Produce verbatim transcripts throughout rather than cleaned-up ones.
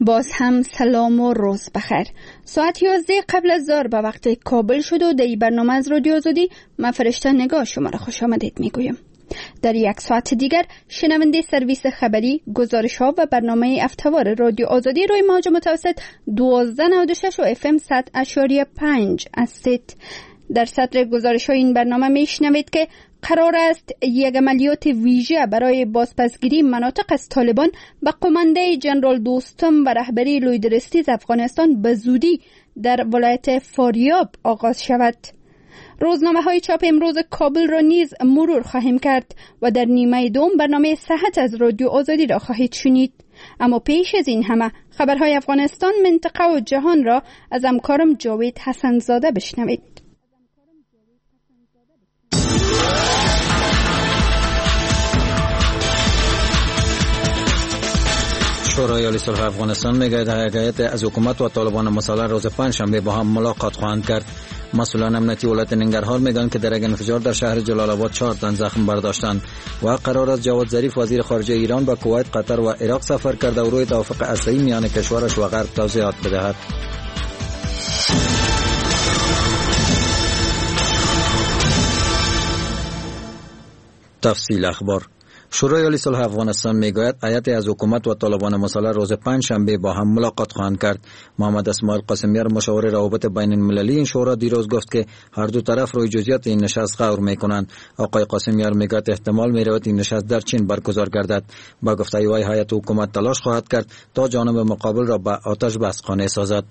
باز هم سلام و روز بخیر. ساعت یازده قبل از ظهر به وقت کابل شد و در این برنامه از رادیو آزادی من فرشته نگاه شما را خوش آمدید میگویم. در یک ساعت دیگر شنونده سرویس خبری، گزارش ها و برنامه افتوار رادیو آزادی روی موج متوسط دوازده نود و شش و اف ام صد اعشاریه پنج هستید. در صدر گزارش های این برنامه میشنوید که قرار است یک عملیات ویژه برای بازپسگیری مناطق از طالبان به قمانده جنرال دوستم و رهبری لوی درستیز افغانستان به زودی در ولایت فاریاب آغاز شود. روزنامه های چاپ امروز کابل را نیز مرور خواهیم کرد و در نیمه دوم برنامه صحت از رادیو آزادی را خواهید شنید. اما پیش از این همه خبرهای افغانستان، منطقه و جهان را از همکارم جاوید حسن زاده بشنوید. شورای عالی صلح افغانستان میگوید هیئت از حکومت و طالبان مسلح روز پنجشنبه با هم ملاقات خواهند کرد. مسئولان امنیتی ولایت ننگرهار میگویند که در یک انفجار در شهر جلال آباد چهار تن زخم برداشتند و قرار است جواد ظریف وزیر خارجه ایران به کویت، قطر و عراق سفر کرده و روی توافق هسته‌ای میان کشورش و غرب توضیحات بدهد. تفصیل اخبار. شورای عالی صلح افغانستان میگوید هیئت از حکومت و طالبان مسلح روز پنجشنبه با هم ملاقات خواهند کرد. محمد اسماعیل قاسمیار مشاور روابط بین المللی این شورا دیروز گفت که هر دو طرف روی جزئیات این نشست غور میکنند. آقای قاسمیار میگوید احتمال میرود این نشست در چین برگزار گردد. با گفته وی هیئت حکومت تلاش خواهد کرد تا جانب مقابل را به آتش بس قانع سازد.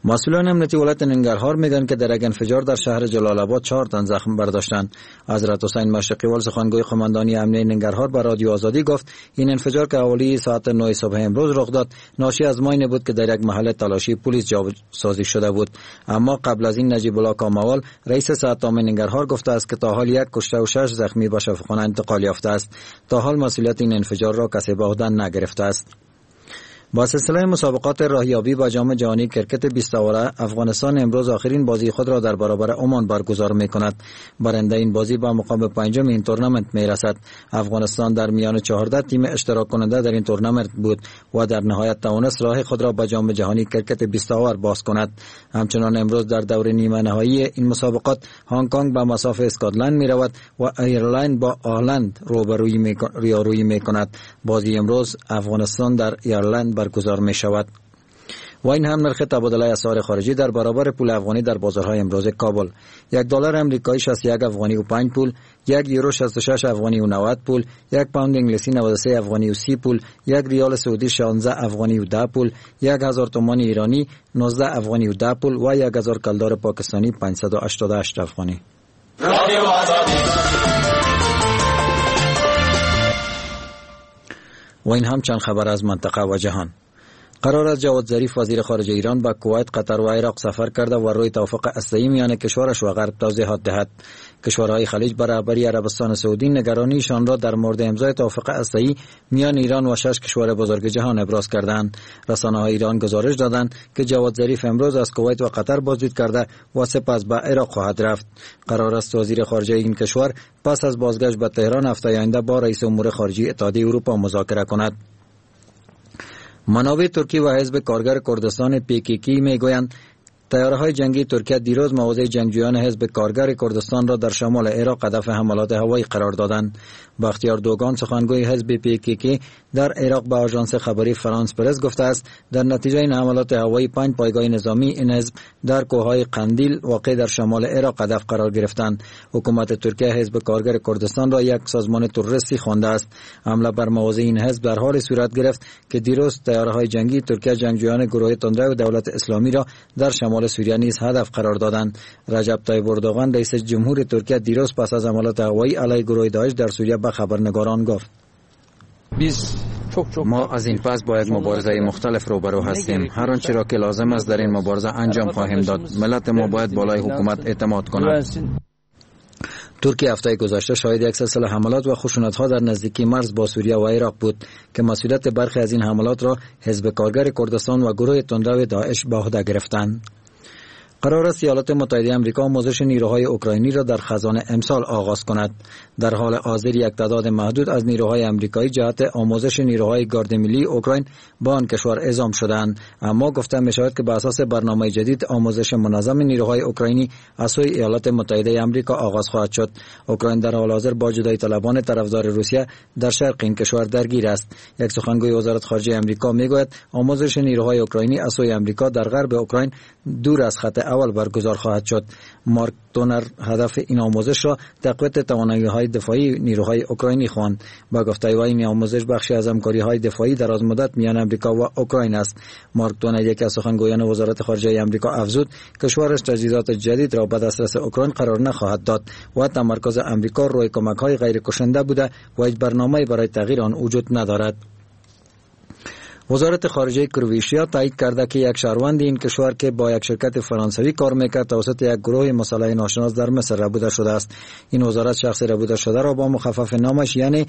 مسئولان امنیتی ولایت ننگرهار میگن که در یک انفجار در شهر جلال آباد چهار تن زخم برداشتند. حضرت حسین مشرقیوال سخنگوی قماندانی امنیتی ننگرهار به رادیو آزادی گفت این انفجار که حوالی ساعت نه صبح امروز رخ داد ناشی از ماین بود که در یک محل تلاشی پلیس جاسازی شده بود. اما قبل از این نجیب الله کاموال رئیس ساعت ننگرهار گفته است که تا حال یک کشته و شش زخمی به شفاخانه انتقال یافته است. تا حال مسئولیت این انفجار را کسی به عهده نگرفته است. با سلسله مسابقات راهیابی با جام جهانی کرکت بیست آوره، افغانستان امروز آخرین بازی خود را در برابر عمان برگزار می کند. برنده این بازی به مقام پنجم این تورنمنت می رسد. افغانستان در میان چهارده تیم اشتراک کننده در این تورنمنت بود و در نهایت توانست راه خود را به جام جهانی کرکت بیست آور باز کند. همچنان امروز در دور نیمه نهایی این مسابقات هنگ کنگ به مصاف اسکاتلند می رود و ایرلند با هلند رویارویی می کند. بازی امروز افغانستان در ایرلند برگزار می شود. و این هم نرخ تبادله اسعار خارجی در برابر پول افغانی در بازارهای امروز کابل: یک دلار آمریکایی شصت و یک افغانی و پنج پول، یک یورو شصت و شش افغانی و نود پول، یک پوند انگلیسی نود و سه افغانی و سی پول، یک ریال سعودی شانزده افغانی و ده پول، یک هزار تومان ایرانی نوزده افغانی و ده پول و یک هزار کلدار پاکستانی پانصد و هشتاد و هشت افغانی. و این هم چند خبر از منطقه و جهان. قرار است جواد ظریف وزیر خارجه ایران به کویت، قطر و عراق سفر کرده و روی توافق هسته‌ای میان کشورش و غرب توضیحات دهد. کشورهای خلیج به رهبری عربستان سعودی نگرانیشان را در مورد امضای توافق هسته‌ای میان ایران و شش کشور بزرگ جهان ابراز کردند. رسانه‌های ایران گزارش دادند که جواد ظریف امروز از کویت و قطر بازدید کرده و سپس به عراق خواهد رفت. قرار است وزیر خارجه این کشور پس از بازگشت به تهران هفته آینده با رئیس امور خارجه اتحادیه اروپا مذاکره کند. منابع ترکی و حزب کارگر کردستان پی کی کی میگویند طیاره‌های جنگی ترکیه دیروز مواضع جنگجویان حزب کارگر کردستان را در شمال عراق هدف حملات هوایی قرار دادند. بختیار دوگان سخنگوی حزب پی کی کی در عراق به آژانس خبری فرانس پرس گفته است در نتیجه این حملات هوایی پنج پایگاه نظامی این حزب در کوه‌های قندیل واقع در شمال عراق هدف قرار گرفتند. حکومت ترکیه حزب کارگر کردستان را یک سازمان تروریستی خوانده است. حمله بر مواضع این حزب در حال صورت گرفت که دیروز طیاره‌های جنگی ترکیه جنگجویان گروه تندرو دولت اسلامی را در شمال سوریه نیز هدف قرار دادند. رجب طیب اردوغان رئیس جمهور ترکیه دیروز پس از حملات هوایی علیه گروه داعش در سوریه به خبرنگاران گفت: ما از این پس با یک مبارزه مختلف روبرو هستیم. هر آنچه را که لازم است در این مبارزه انجام خواهیم داد. ملت ما باید بالای حکومت اعتماد کند. ترکیه هفته گذشته شاهد یک سلسله حملات و خشونت‌ها در نزدیکی مرز با سوریه و عراق بود که مسئولیت برخی از این حملات را حزب کارگر کردستان و گروه تندرو داعش به عهده گرفتند. قرار است ایالات متحده آمریکا آموزش نیروهای اوکراینی را در خزان امسال آغاز کند. در حال حاضر یک تعداد محدود از نیروهای آمریکایی جهت آموزش نیروهای گارد ملی اوکراین با آن کشور اعزام شدند، اما گفته می شود که به اساس برنامه جدید آموزش منظم نیروهای اوکراینی از سوی ایالات متحده آمریکا آغاز خواهد شد. اوکراین در حال حاضر با جدایی طلبان طرفدار روسیه در شرق این کشور درگیر است. یک سخنگوی وزارت خارجه آمریکا میگوید آموزش نیروهای اوکراینی از سوی آمریکا در غرب اوکراین دور از خط اول برگزار خواهد شد. مارک تونر هدف این آموزش را تقویت توانایی‌های دفاعی نیروهای اوکراینی خواند. با گفته وی این آموزش بخشی از همکاری‌های دفاعی دراز مدت میان آمریکا و اوکراین است. مارک تونر یکی از سخنگویان وزارت خارجه آمریکا افزود کشورش تجهیزات جدید را به دسترس اوکراین قرار نخواهد داد و تمرکز آمریکا روی کمک‌های غیر کشنده بوده و هیچ برنامه‌ای برای تغییر آن وجود ندارد. وزارت خارجه کرواتیا تایید کرده که یک شهروند این کشور که با یک شرکت فرانسوی کار میکرد توسط یک گروه مسلح ناشناس در مصر ربوده شده است. این وزارت شخص ربوده شده را با مخفف نامش یعنی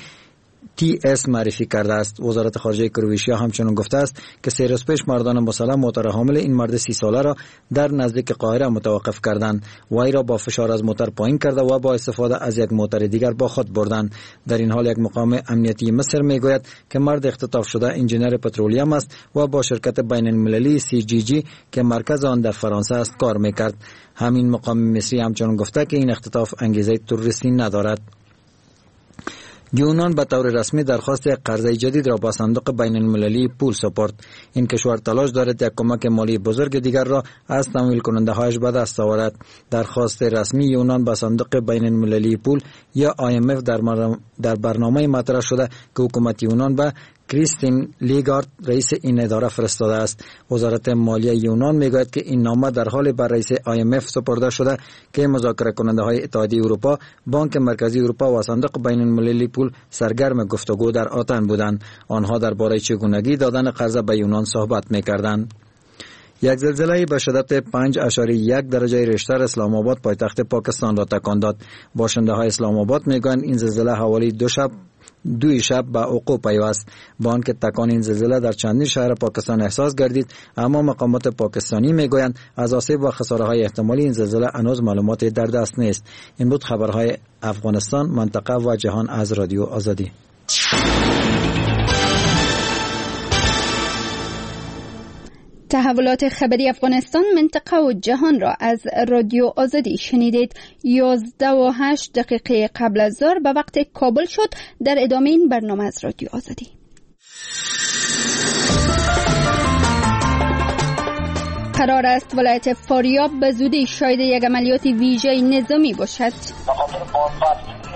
تی اس معرفی کرده است. وزارت خارجه کرواتیا همچنین گفته است که سه روز پیش مردان مسلح موتر حامل این مرد سی ساله را در نزدیک قاهره متوقف کردند و ای را با فشار از موتر پایین کرده و با استفاده از یک موتر دیگر با خود بردند. در این حال یک مقام امنیتی مصر میگوید که مرد اختطاف شده انجینر پترولیم است و با شرکت بین المللی سی جی جی که مرکز آن در فرانسه است کار میکرد. همین مقام مصری همچنین گفته که این اختطاف انگیزه تروریستی ندارد. یونان به طور رسمی درخواست یک قرضه جدید را با صندوق بین المللی پول سپرد. این کشور تلاش دارد یک کمک مالی بزرگ دیگر را از تمویل کننده هایش به دست آورد. درخواست رسمی یونان به صندوق بین المللی پول یا آی ام اف در, در برنامه مطرح شده که حکومت یونان به کریستین لیگارد رئیس این اداره فرستاده است. وزارت مالیه یونان میگوید که این نامه در حال بر رئیس آی ام اف سپرده شده که مذاکره کننده های اتحادیه اروپا، بانک مرکزی اروپا و صندوق بین المللی پول سرگرم گفتگو در آتن بودند. آنها درباره چگونگی دادن قرض به یونان صحبت میکردند. یک زلزله به شدت پنج اعشاریه یک درجه ریشتر اسلام آباد پایتخت پاکستان را تکان داد. باشنده های اسلام آباد میگویند این زلزله حوالی دو شب دوی شب به وقوع پیوست. با آنکه تکان این زلزله در چندین شهر پاکستان احساس گردید، اما مقامات پاکستانی میگویند از آسیب و خساره‌های احتمالی این زلزله هنوز معلومات در دست نیست. این بود خبرهای افغانستان، منطقه و جهان از رادیو آزادی. تحولات خبری افغانستان، منطقه و جهان را از رادیو آزادی شنیدید. یازده و هشت دقیقه قبل از ظهر به وقت کابل شد. در ادامه این برنامه از رادیو آزادی. قرار است ولایت فاریاب به زودی شاهد یک عملیات ویژه نظامی باشد.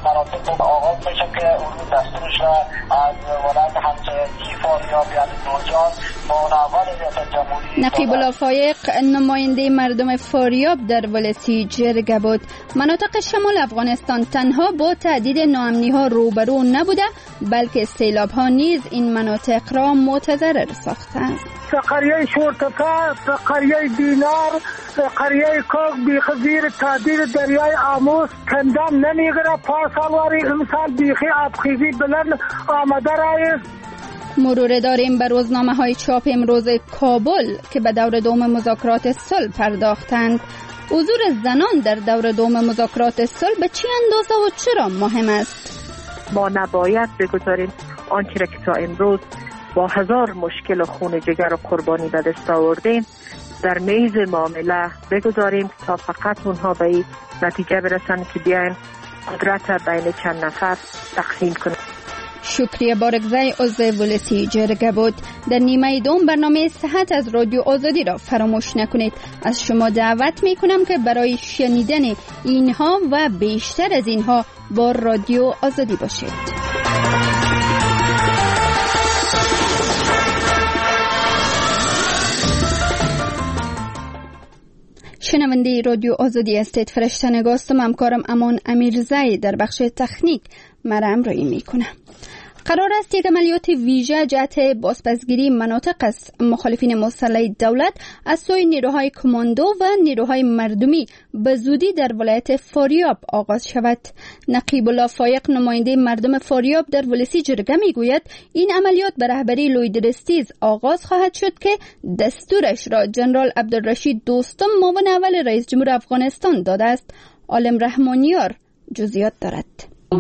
مناطق آغاز میشه که اون دستورش را از ولایت همسایگی فاریاب یعنی جوزجان با اول ریاست جمهوری. نقیب الله فایق نماینده مردم فاریاب در ولسی جرگه بود. مناطق شمال افغانستان تنها با تهدید ناامنی ها روبرو نبوده، بلکه سیلاب ها نیز این مناطق را متضرر ساختند. قریه شورتپه، قریه دینار، قریه کاک بیخ زیر تهدید دریای آموز کندن نمیگیره. پارسالواری امسال بیخی آبخیزی بلند آمده رایست. مرور داریم بر روزنامه های چاپ امروز کابل که به دور دوم مذاکرات صلح پرداختند. حضور زنان در دور دوم مذاکرات صلح به چه اندازه و چرا مهم است؟ ما نباید بگذاریم آنچه را که تا امروز با هزار مشکل و خون جگر و قربانی به دست آوردیم در میز معامله بگذاریم تا فقط اونها به این نتیجه برسن که بیاین قدرت بین چند نفر تقسیم کنند. شکریه بارکزی عضو ولسی جرگه بود. در نیمه دوم برنامه صحت از رادیو آزادی را فراموش نکنید. از شما دعوت میکنم که برای شنیدن اینها و بیشتر از اینها با رادیو آزادی باشید. شنونده رادیو آزادی هستید. فرشته نگاستم، همکارم امان امیرزی در بخش تکنیک مرا همراهی میکنه. قرار است یک عملیات ویژه جهت بازپسگیری مناطق از مخالفین مسلح دولت از سوی نیروهای کماندو و نیروهای مردمی به زودی در ولایت فاریاب آغاز شود. نقیب الله فایق، نماینده مردم فاریاب در ولسی جرگه، میگوید این عملیات به رهبری لوی درستیز آغاز خواهد شد که دستورش را جنرال عبدالرشید دوستم، معاون اول رئیس جمهور افغانستان، داده است. عالم رحمانیار جزئیات دارد.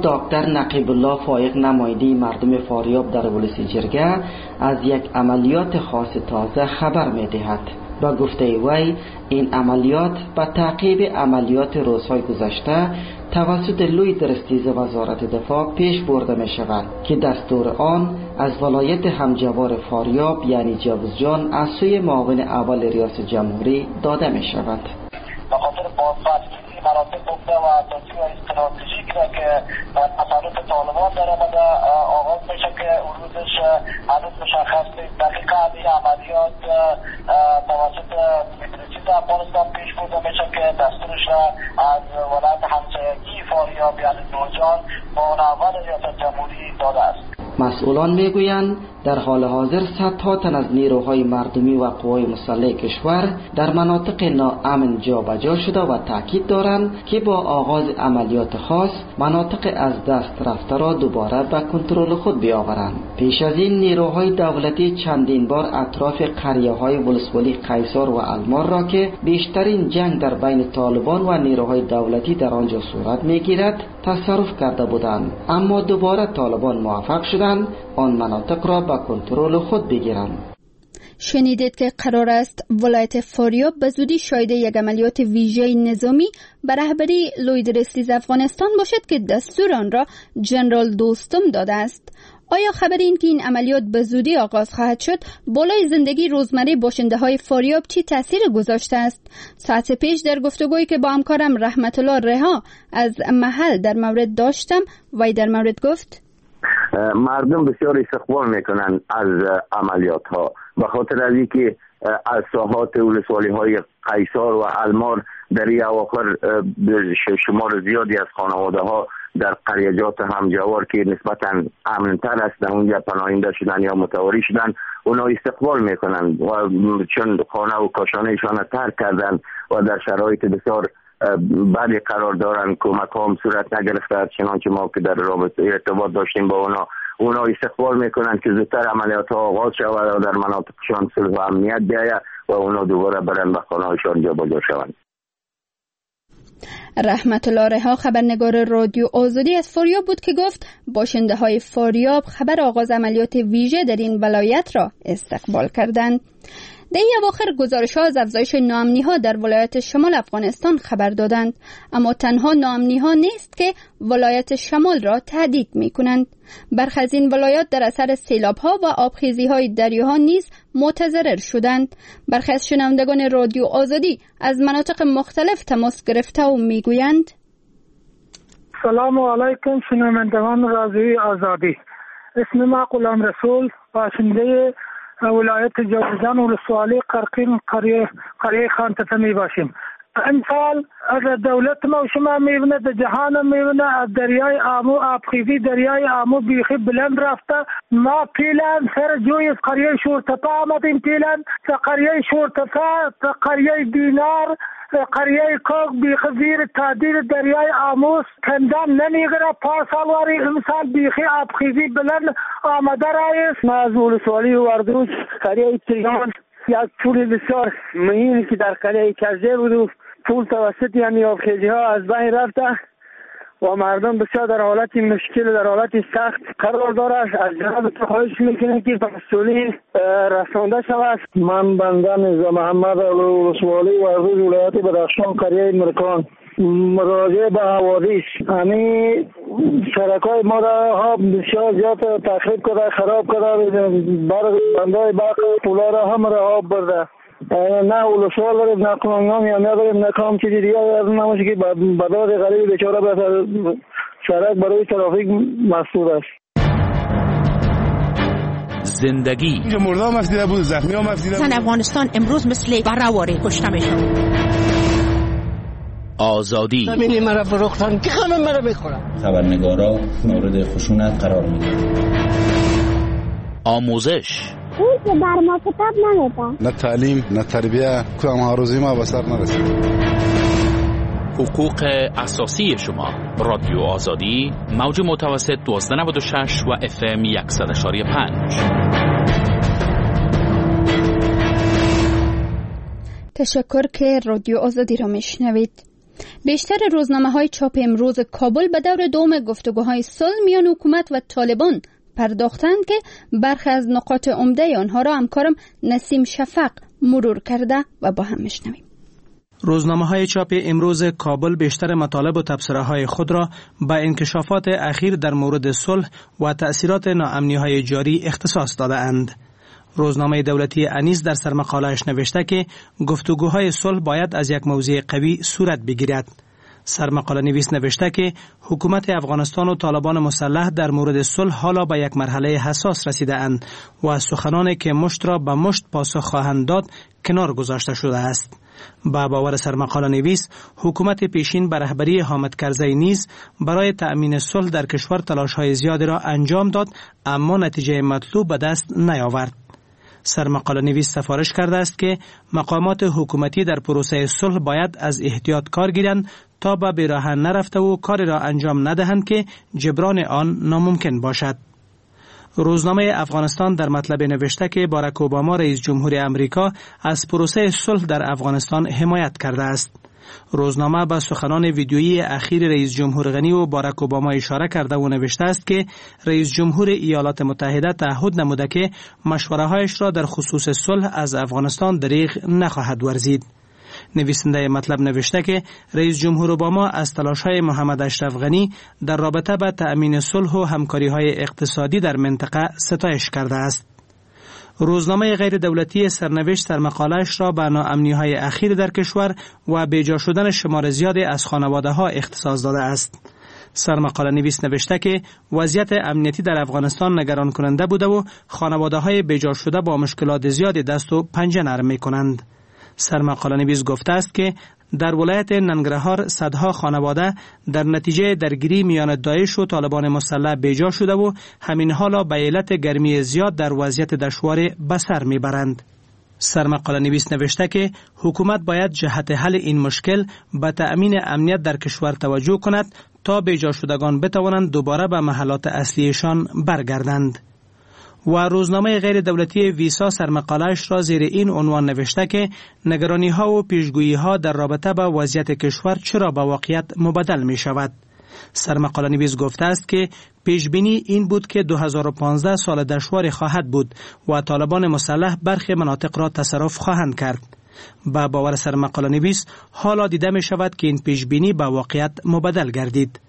دکتر نقیب الله فایق، نماینده مردم فاریاب در ولسی جرگه، از یک عملیات خاص تازه خبر می‌دهد. با گفته وی این عملیات به تعقیب عملیات روزهای گذشته توسط لوی درستیز وزارت دفاع پیش برده می شود که دستور آن از ولایت همجوار فاریاب یعنی جوزجان از سوی معاون اول ریاست جمهوری داده می شود. به خاطر بازپسگیری مناطق عمده و اساسی و استراتژیک را که در تصرف طالبان در آمده آغاز میشه که روزش هنوز مشخص نیست. دقیقا این عملیات توسط مدرسید افغانستان پیش برده میشه که دستورش را از ولایت همسایگی فاریاب یعنی نوجان معاون اول ریاست جمهوری داده است. مسئولان میگویند در حال حاضر صدها تن از نیروهای مردمی و قوای مسلح کشور در مناطق ناامن جابجا شده و تاکید دارند که با آغاز عملیات خاص مناطق از دست رفته را دوباره به کنترل خود بیاورند. پیش از این نیروهای دولتی چندین بار اطراف قریه های ولسوالی قیصار و المار را که بیشترین جنگ در بین طالبان و نیروهای دولتی در آنجا صورت میگیرد تصرف کرده بودند، اما دوباره طالبان موفق شدند آن مناطق را به کنترل خود بگیرند. شنیدید که قرار است ولایت فاریاب به زودی شاهد یک عملیات ویژه نظامی به رهبری لوی درستیز افغانستان باشد که دستور آن را جنرال دوستم داده است. آیا خبر این که این عملیات به زودی آغاز خواهد شد بالای زندگی روزمره باشنده های فاریاب چی تاثیر گذاشته است؟ ساعت پیش در گفتگویی که با همکارم رحمت الله رها از محل در مورد داشتم، وی در مورد گفت: مردم بسیار استقبال میکنن از عملیات ها، به خاطر از اینکه از ساحات ولسوالی های قیصار و المار در این اواخر شمار زیادی از خانواده ها در قریجات همجوار که نسبتا امن‌تر است در اونجا پناهنده شدن یا متواری شدن، اونا استقبال میکنن و چون خانه و کاشانه ایشان ترک کردن و در شرایط بسیار بدی قرار دارن، کمک هم صورت نگرفته، چنانچه ما که در رابطه ارتباط داشتیم با اونا، اونا استقبال میکنن که زودتر عملیات ها آغاز شود و در مناطقشان صلح و امنیت بیاید و اونا دوباره برن به خانه هایشان جابجا شوند. رحمت الله رها، خبرنگار رادیو آزادی از فاریاب بود که گفت باشنده های فاریاب خبر آغاز عملیات ویژه در این ولایت را استقبال کردند. در این اواخر گزارش ها از افزایش ناامنی ها در ولایت شمال افغانستان خبر دادند، اما تنها ناامنی ها نیست که ولایت شمال را تهدید می کنند. برخی از این ولایات در اثر سیلاب ها و آبخیزی های دریاها نیز متضرر شدند. برخی از شنوندگان رادیو آزادی از مناطق مختلف تماس گرفته و می گویند: سلام علیکم شنوندگان رادیو آزادی، اسم ما غلام رسول، باشنده ولایت جوزجان ولسوالی قرقین قریه قریه خانتپه می باشیم. امسال از دولت ما و شما میبینه، در جهان میبینه، از دریای آمو آبخیزی دریای آمو بیخی بلند رفته. ما پیلان سر جوی از قریه شورتپه آمدیم، پیلان تا قریه شورتپه تا قریه دینار قریه کوک بیخی زیر تعدیل دریای آموز کندان نمیگیره. پارسال واری امسال بیخی آبخیزی بلند آمده رایس. ما از ولسوالی وردوش قریه تریان یک پول بسیار مهمی که در قریه کزده بود و پول توسط یعنی آبخیزی ها از بین رفته و مردم بسیار در حالت مشکل و در حالت سخت قرار دارد. از جناب خواهش میکنیم که مسئولین رسانده شود. من بنده میرزا محمد ولسوالی وردوش ولایت بدخشان قریه مرکان مراجعه به حوادث همین سرکای ما را ها بسیار زیاد تخریب کرده، خراب کرده، برق بندای برق پولا را هم را آب برده. نه ولسوال داریم، نه قانون یا نداریم، نه کام چیزی دیگه از نماشه که بداد غریب بیچاره به سرک برای ترافیک مسدود است. زندگی اینجا مرده هم افزیده بود، زخمی هم افزیده بود. افغانستان امروز مثل برواری کشته میشه. آزادی. زمینی مرا فروختن که غم مرا میخورن. خبرنگارا مورد خشونت قرار میگیرند. آموزش. اون که بر ما کتاب نمیده. نه تعلیم نه تربیه کدام آرزوی ما به سر نرسید. حقوق اساسی شما. رادیو آزادی، موج متوسط دوازده نود و شش و اف ام صد و پنج. تشکر که رادیو آزادی را میشنوید. بیشتر روزنامه های چاپ امروز کابل به دور دوم گفتگوهای صلح میان حکومت و طالبان پرداختند که برخی از نقاط عمده آنها را همکارم نسیم شفق مرور کرده و با هم میشنویم. روزنامه های چاپ امروز کابل بیشتر مطالب و تبصره های خود را به انکشافات اخیر در مورد صلح و تأثیرات ناامنی های جاری اختصاص داده اند. روزنامه دولتی انیس در سرمقاله‌اش نوشته که گفتگوهای صلح باید از یک موضع قوی صورت بگیرد. سرمقاله نویس نوشته که حکومت افغانستان و طالبان مسلح در مورد صلح حالا به یک مرحله حساس رسیده اند و سخنانی که مشت را به مشت پاسخ خواهند داد کنار گذاشته شده است. با باور سرمقاله نویس، حکومت پیشین به رهبری حامد کرزی نیز برای تأمین صلح در کشور تلاش‌های زیادی را انجام داد، اما نتیجه مطلوب به دست نیاورد. سرمقاله نویس سفارش کرده است که مقامات حکومتی در پروسه صلح باید از احتیاط کار گیرند تا به بیراه نرفته و کاری را انجام ندهند که جبران آن ناممکن باشد. روزنامه افغانستان در مطلب نوشته که باراک اوباما رئیس جمهور امریکا از پروسه صلح در افغانستان حمایت کرده است. روزنامه به سخنان ویدیویی اخیر رئیس جمهور غنی و باراک اوباما اشاره کرده و نوشته است که رئیس جمهور ایالات متحده تعهد نموده که مشوره‌هایش را در خصوص صلح از افغانستان دریغ نخواهد ورزید. نویسنده مطلب نوشته که رئیس جمهور اوباما از تلاش‌های محمد اشرف غنی در رابطه با تأمین صلح و همکاری‌های اقتصادی در منطقه ستایش کرده است. روزنامه غیر دولتی سرنوشت سرمقاله‌اش را به ناامنی‌های اخیر در کشور و بیجا شدن شمار زیادی از خانواده‌ها اختصاص داده است. سرمقاله نویس نوشته که وضعیت امنیتی در افغانستان نگران کننده بوده و خانواده‌های بیجا شده با مشکلات زیادی دست و پنجه نرم می‌کنند. سرمقاله نویس گفته است که در ولایت ننگرهار صدها خانواده در نتیجه درگیری میان داعش و طالبان مسلح بیجا شده و همین حالا به علت گرمی زیاد در وضعیت دشوار به سر میبرند. سرمقاله نویس نوشته که حکومت باید جهت حل این مشکل به تأمین امنیت در کشور توجه کند تا بیجا شدگان بتوانند دوباره به محلات اصلیشان برگردند. و روزنامه غیر دولتی ویسا سرمقاله‌اش را زیر این عنوان نوشته که نگرانی ها و پیشگویی ها در رابطه با وضعیت کشور چرا به واقعیت مبدل می شود. سرمقاله نویس گفته است که پیش بینی این بود که دو هزار و پانزده سال دشوار خواهد بود و طالبان مسلح برخی مناطق را تصرف خواهند کرد. با باور سرمقاله نویس حالا دیده می شود که این پیش بینی به واقعیت مبدل گردید.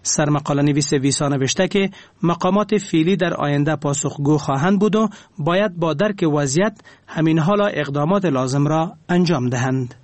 سرمقاله نویس ویسا نوشته که مقامات فعلی در آینده پاسخگو خواهند بود و باید با درک وضعیت همین حالا اقدامات لازم را انجام دهند.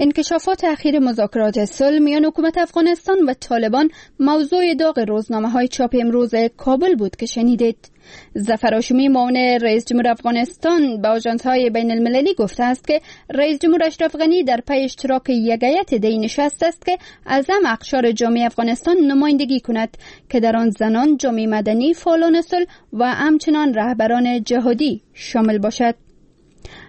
انکشافات اخیر مذاکرات صلح میان حکومت افغانستان و طالبان موضوع داغ روزنامه‌های چاپ امروز کابل بود که شنیدید. ظفر هاشمی معاون رئیس جمهور افغانستان به آژانس‌های بین المللی گفته است که رئیس جمهور اشرف غنی در پی اشتراک یک هیئت دی نشست است که از هم اقشار جامعه افغانستان نمایندگی کند که در آن زنان، جامعه مدنی، فعالان صلح و همچنان رهبران جهادی شامل باشد.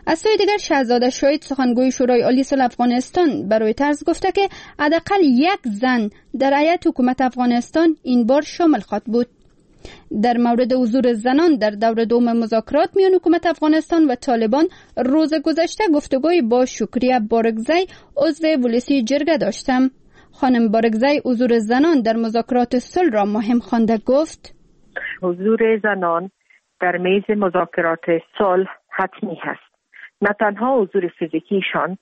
از سوی دیگر شهزاده شاهد سخنگوی شورای عالی صلح افغانستان برای طرز گفته که حداقل یک زن در هیئت حکومت افغانستان این بار شامل خواهد بود. در مورد حضور زنان در دور دوم مذاکرات میان حکومت افغانستان و طالبان روز گذشته گفتگوی با شکریه بارکزی عضو ولسی جرگه داشتم. خانم بارکزی حضور زنان در مذاکرات صلح را مهم خوانده گفت: حضور زنان در میز مذاکرات صلح حتمی هست. نه تنها حضور فیزیکیشان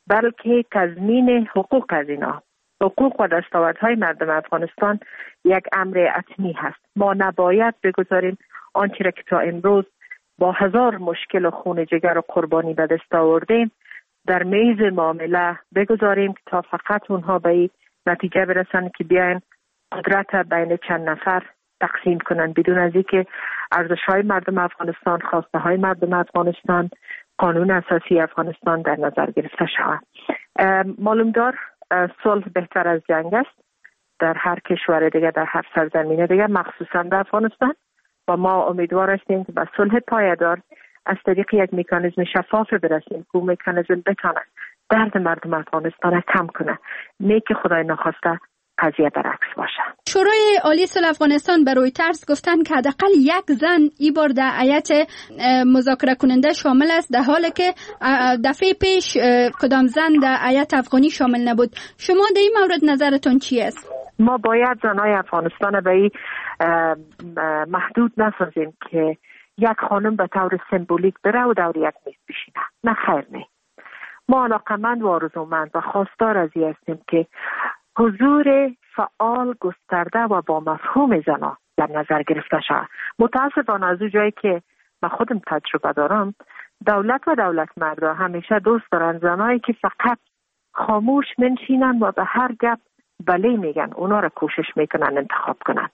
بلکه تضمین حقوق از اینا، حقوق و دستاوردهای مردم افغانستان یک امر حتمی هست. ما نباید بگذاریم آنچه را که تا امروز با هزار مشکل و خون جگر و قربانی به دست آوردیم در میز معامله بگذاریم تا فقط اونها به این نتیجه برسن که بیاین قدرت بین چند نفر تقسیم کنند، بدون از اینکه ارزش‌های مردم افغانستان، خواسته‌های مردم افغانستان قانون اساسی افغانستان در نظر گرفته شود. معلوم دار صلح بهتر از جنگ است در هر کشور دیگه، در هر سرزمین دیگه، مخصوصا در افغانستان، و ما امیدوار هستیم که به صلح پایدار از طریق یک مکانیزم شفاف برسیم که مکانیزم بتونه درد مردم افغانستان کم کنه، نه که خدای نخواسته قضیه برعکس باشه. شورای عالی صلح افغانستان به رویترز گفتن که حداقل یک زن ای بار در هیئت مذاکره کننده شامل است، در حالی که دفعه پیش کدام زن در هیئت افغانی شامل نبود. شما در این مورد نظرتون چی است؟ ما باید زنای افغانستان به این محدود نسازیم که یک خانم به طور سمبولیک بره و دور یک میز بشینه. نه خیر، نه. ما علاقمند و آرزومند و خواستار از این هستیم که حضور فعال، گسترده و با مفهوم زنان در نظر گرفته شود. متاسفانه از اون جایی که من خودم تجربه دارم، دولت و دولت مردا همیشه دوست دارن زنایی که فقط خاموش منشینن و به هر گپ بله میگن، اونا را کوشش میکنن انتخاب کنن،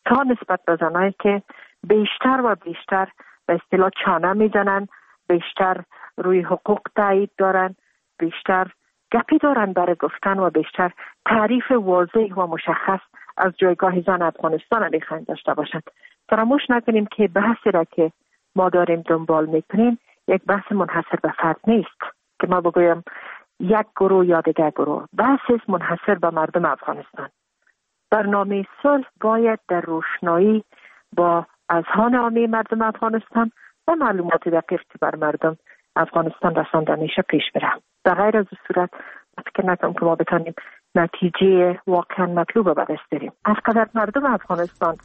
تا نسبت به زنایی که بیشتر و بیشتر به اصطلاح چانه میزنن، بیشتر روی حقوق تایید دارن، بیشتر گپی دارن برای گفتن و بیشتر تعریف واضح و مشخص از جایگاه زن افغانستان میخواین داشته باشند. فراموش نکنیم که بحثی را که ما داریم دنبال میکنیم یک بحث منحصر به فرد نیست که ما بگویم یک گروه یا دیگر گروه. بحث منحصر به مردم افغانستان. برنامه صلح باید در روشنایی با اذهان عامه مردم افغانستان و معلومات دقیق که بر مردم افغانستان رسانده میشه پیش بره. در غیر از صورت فکر نکنم که ما بتانیم نتیجه واقعا مطلوب به دست بیاریم. هر قدر مردم افغانستان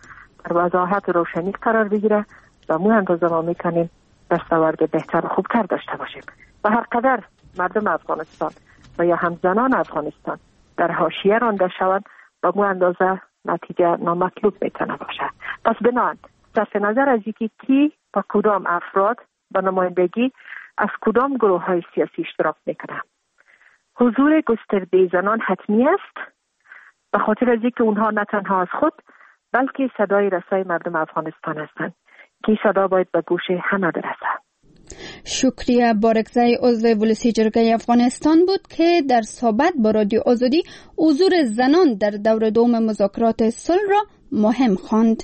در وضاحت و روشنی قرار بگیره و مو اندازه ما میتونیم دستاورد بهتر و خوبتر داشته باشیم. و هر قدر مردم افغانستان و یا هم زنان افغانستان در حاشیه رانده شوند و مو اندازه نتیجه نامطلوب میتونه باشه. پس بنابراین صرف نظر از اینکه کی با کدام افراد با نمایندگی از کدام گروه های سیاسی اشتراک میکنه، حضور گسترده زنان حتمی است، به خاطر از اینکه اونها نه تنها از خود بلکه صدای رسای مردم افغانستان هستند که صدا باید به گوش همه برسد. شکریه بارکزی عضو ولسی جرگه افغانستان بود که در صحبت با رادیو آزادی حضور زنان در دور دوم مذاکرات صلح را مهم خواند.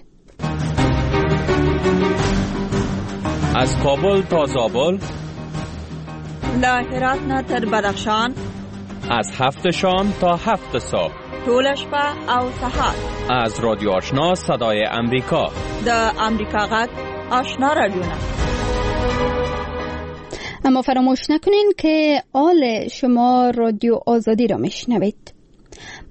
از کابل تا زابل، له هرات نه تر بدخشان، از هفت شام تا هفت صبح، ټوله شپه او سهار، از رادیو آشنا صدای امریکا، د امریکا غږ آشنا رادیو. اما فراموش نکنین که آل شما رادیو آزادی را میشنوید.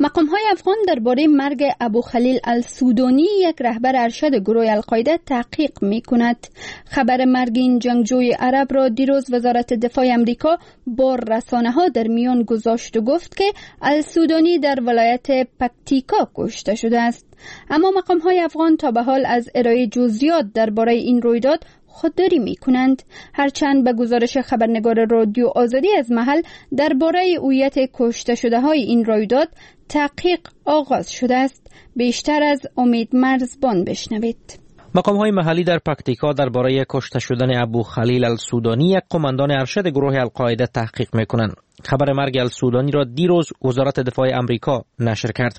مقام های افغان درباره مرگ ابو خلیل السودانی، یک رهبر ارشد گروه القاعده، تحقیق می کند. خبر مرگ این جنگجوی عرب را دیروز وزارت دفاع امریکا با رسانه ها در میان گذاشت و گفت که السودانی در ولایت پکتیکا کشته شده است. اما مقام های افغان تا به حال از ارائه جزئیات درباره این رویداد خودداری می کنند. هرچند به گزارش خبرنگار رادیو آزادی از محل درباره هویت کشته شده های این رویداد تحقیق آغاز شده است. بیشتر از امید مرزبان بشنوید. مقام های محلی در پکتیکا درباره کشته شدن ابو خلیل السودانی، یک قماندان ارشد گروه القاعده، تحقیق میکنند. خبر مرگ السودانی را دیروز وزارت دفاع امریکا نشر کرد.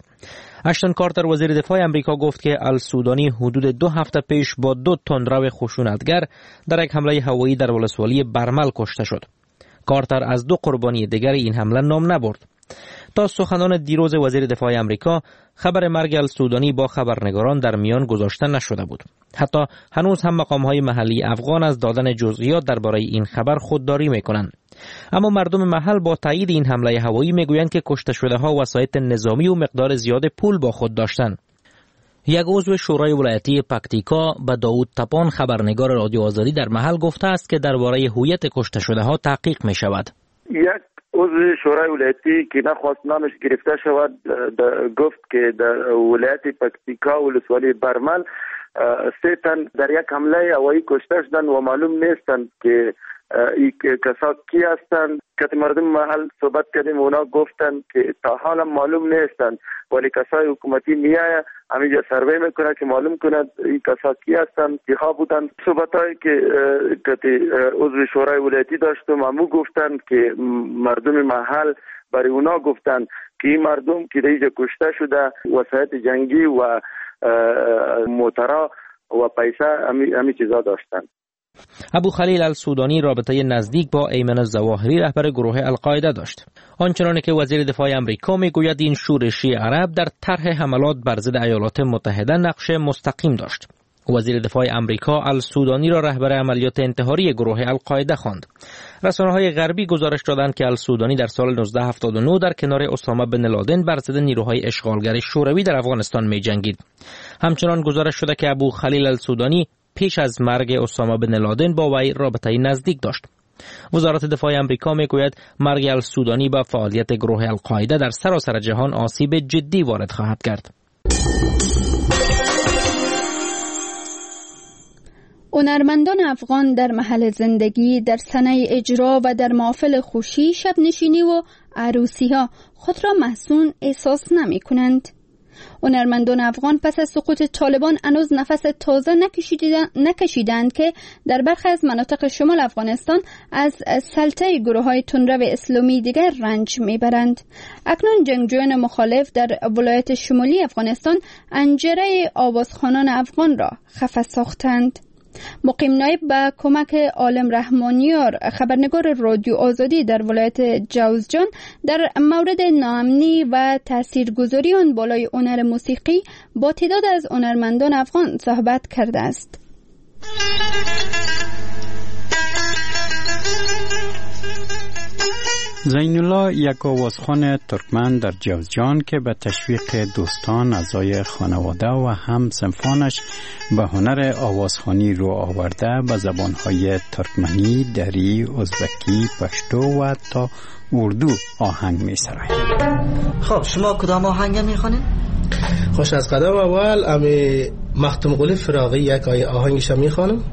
اشتون کارتر وزیر دفاع امریکا گفت که السودانی حدود دو هفته پیش با دو تندرو خشونتگر در یک حمله هوایی در ولسوالی برمل کشته شد. کارتر از دو قربانی دیگر این حمله نام نبرد. تا سخنان دیروز وزیر دفاع امریکا، خبر مرگ السودانی با خبرنگاران در میان گذاشته نشده بود. حتی هنوز هم مقام‌های محلی افغان از دادن جزئیات درباره این خبر خودداری میکنند. اما مردم محل با تایید این حمله هوایی میگویند که کشته شده ها وسایط نظامی و مقدار زیاد پول با خود داشتند. یک عضو شورای ولایتی پکتیکا به داوود تپان، خبرنگار رادیو آزادی در محل، گفته است که درباره هویت کشته شده ها تحقیق می شود. یک عضو شورای ولایتی که نخواست نامش گرفته شود گفت که در ولایت پکتیکا ولسوالی برمل سه تن در یک حمله هوایی کشته شدند و معلوم نیستند که این کسا کی هستند. که مردم محل صحبت کردیم، اونا گفتند که تا حالا معلوم نیستند، ولی کسای حکومتی میایه همینجا سروی میکنه که معلوم کند این کسا کی هستند، کیها بودند. صحبتایی که عضو شورای ولایتی داشتم همو گفتند که مردم محل برای اونا گفتند که این مردم که در اینجا کشته شده وسایط جنگی و موترا و پیسه همی, همی چیزا داشتند. ابو خلیل السودانی رابطه نزدیک با ایمن الظواهری رهبر گروه القاعده داشت. آنچنان که وزیر دفاع امریکا میگوید این شورشی عرب در طرح حملات بر ضد ایالات متحده نقش مستقیم داشت. وزیر دفاع امریکا السودانی را رهبر عملیات انتحاری گروه القاعده خواند. رسانه‌های غربی گزارش دادند که السودانی در سال نوزده هفتاد و نه در کنار اسامه بن لادن بر ضد نیروهای اشغالگر شوروی در افغانستان می‌جنگید. همچنان گزارش شده که ابو خلیل السودانی پیش از مرگ اسامه بن لادن با وی رابطه نزدیک داشت. وزارت دفاع امریکا میگوید مرگ السودانی به فعالیت گروه القاعده در سراسر جهان آسیب جدی وارد خواهد کرد. هنرمندان افغان در محل زندگی، در صحنه اجرا و در محافل خوشی، شب نشینی و عروسی ها خود را محزون احساس نمی کنند. هنرمندان افغان پس از سقوط طالبان هنوز نفس تازه نکشیدند که در برخی از مناطق شمال افغانستان از سلطه گروه‌های تندرو اسلامی دیگر رنج میبرند. اکنون جنگجویان مخالف در ولایت شمالی افغانستان انجره آوازخوانان افغان را خفه ساختند. مقیم نایب به کمک عالم رحمانیار خبرنگار رادیو آزادی در ولایت جوزجان در مورد ناامنی و تاثیرگذاری آن بالای هنر موسیقی با تعداد از هنرمندان افغان صحبت کرده است. زین الله یک آوازخوان ترکمن در جوزجان که به تشویق دوستان، اعضای خانواده و هم صنفانش به هنر آوازخوانی رو آورده، به زبانهای ترکمنی، دری، ازبکی، پشتو و تا اردو آهنگ می سراید. خب شما کدام آهنگ می خوانید؟ خوش از قدم اول امی مختم قلی فراغی یک آهنگش می خوانم.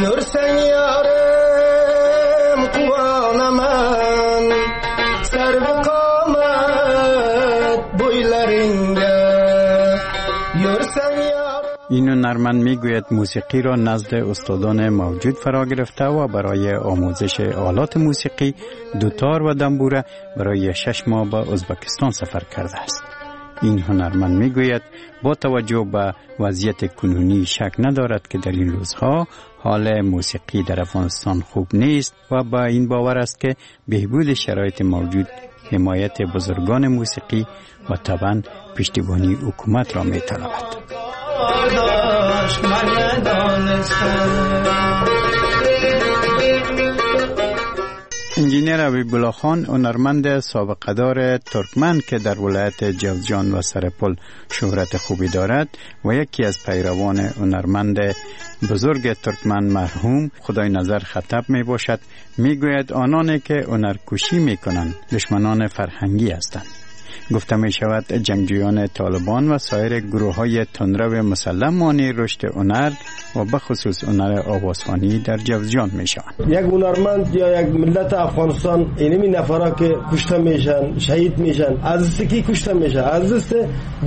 یورسن یارم قوانم سر قامت بویلرینگه یورسن. این هنرمند میگوید موسیقی را نزد استادان موجود فرا گرفته و برای آموزش آلات موسیقی دوتار و دنبوره برای شش ماه به ازبکستان سفر کرده است. این هنرمند میگوید با توجه به وضعیت کنونی شک ندارد که در این روزها حال موسیقی در افغانستان خوب نیست و با این باور است که بهبود شرایط موجود حمایت بزرگان موسیقی و طبعا پشتیبانی حکومت را می‌طلبد. انجینیر حبیب خان، هنرمند سابقه‌دار ترکمن که در ولایت جوزجان و سرپل شهرت خوبی دارد و یکی از پیروان هنرمند بزرگ ترکمن مرحوم خدای نظر خطب می باشد، می گوید آنانی که هنرکشی می کنند دشمنان فرهنگی هستند. گفته می شود جنگجویان طالبان و سایر گروه های تندرو مسلح مانع رشد هنر و بخصوص هنر آوازخوانی در جوزجان می شوند. یک هنرمند یا یک ملت افغانستان اینمی نفرا که کشته میشن، شهید میشن، از دست کی کشته میشن؟ از دست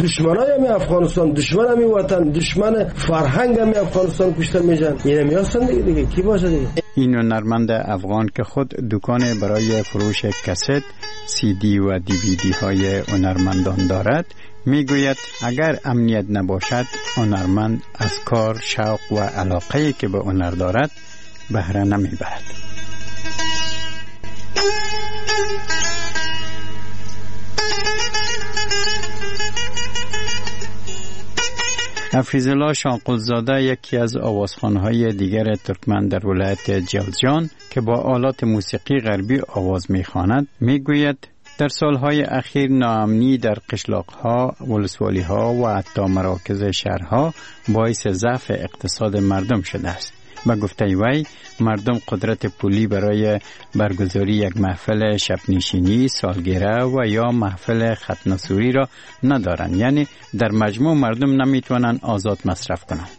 دشمنای می افغانستان، دشمن می وطن، دشمن فرهنگ می افغانستان کشته میشن. اینمی هستن دیگه، دیگه کی باشه دیگه؟ این هنرمند افغان که خود دکان برای فروش کست، سی دی و دی وی دی های هنرمندان دارد، میگوید اگر امنیت نباشد هنرمند از کار، شوق و علاقه‌ای که به هنر دارد بهره نمیبرد. حفیظ‌الله شانقلزاده یکی از آوازخوان‌های دیگر ترکمن در ولایت جوزجان که با آلات موسیقی غربی آواز می‌خواند، میگوید در سالهای اخیر ناامنی در قشلاق‌ها، ولسوالی‌ها و حتی مراکز شهرها باعث ضعف اقتصاد مردم شده است. به گفته وی مردم قدرت پولی برای برگزاری یک محفل شبنشینی، سالگیره و یا محفل ختنسوری را ندارند، یعنی در مجموع مردم نمیتوانند آزاد مصرف کنند.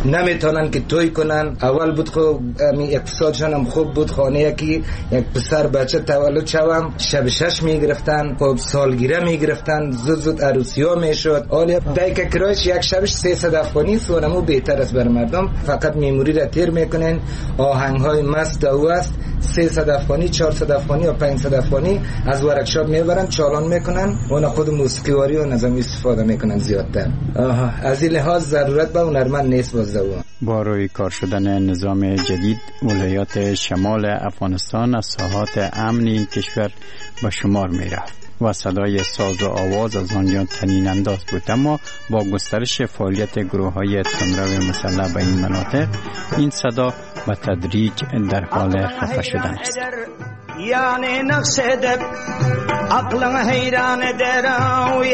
نمیتونن که توی کنن. اول بود خب اقتصادشان هم خوب بود، خانه یکی یک پسر بچه تولد شوم شب شش میگرفتن، خب سالگیره میگرفتن، زود زود عروسی ها میشد. حالا دایک کرایش یک شبش سیصد افغانی است و نمو بهتر است بر مردم. فقط میموری را تیر میکنن، آهنگ های مست دو است، سیصد افغانی، چهارصد افغانی یا پانصد افغانی از ورکشاپ میبرن، چالان میکنن، اون خود موسیقی واری و نظام استفاده میکنن زیادتر. آها، از این لحاظ ضرورت به هنرمند نیست باز. با روی کار شدن نظام جدید، ولایات شمال افغانستان از ساحات امن این کشور به شمار می رفت و صدای ساز و آواز از آنجا طنین انداز بود. اما با گسترش فعالیت گروه های تندرو مسلح به این مناطق، این صدا به تدریج در حال خفه شدن است. Yani naqsh edip aklını heyran eder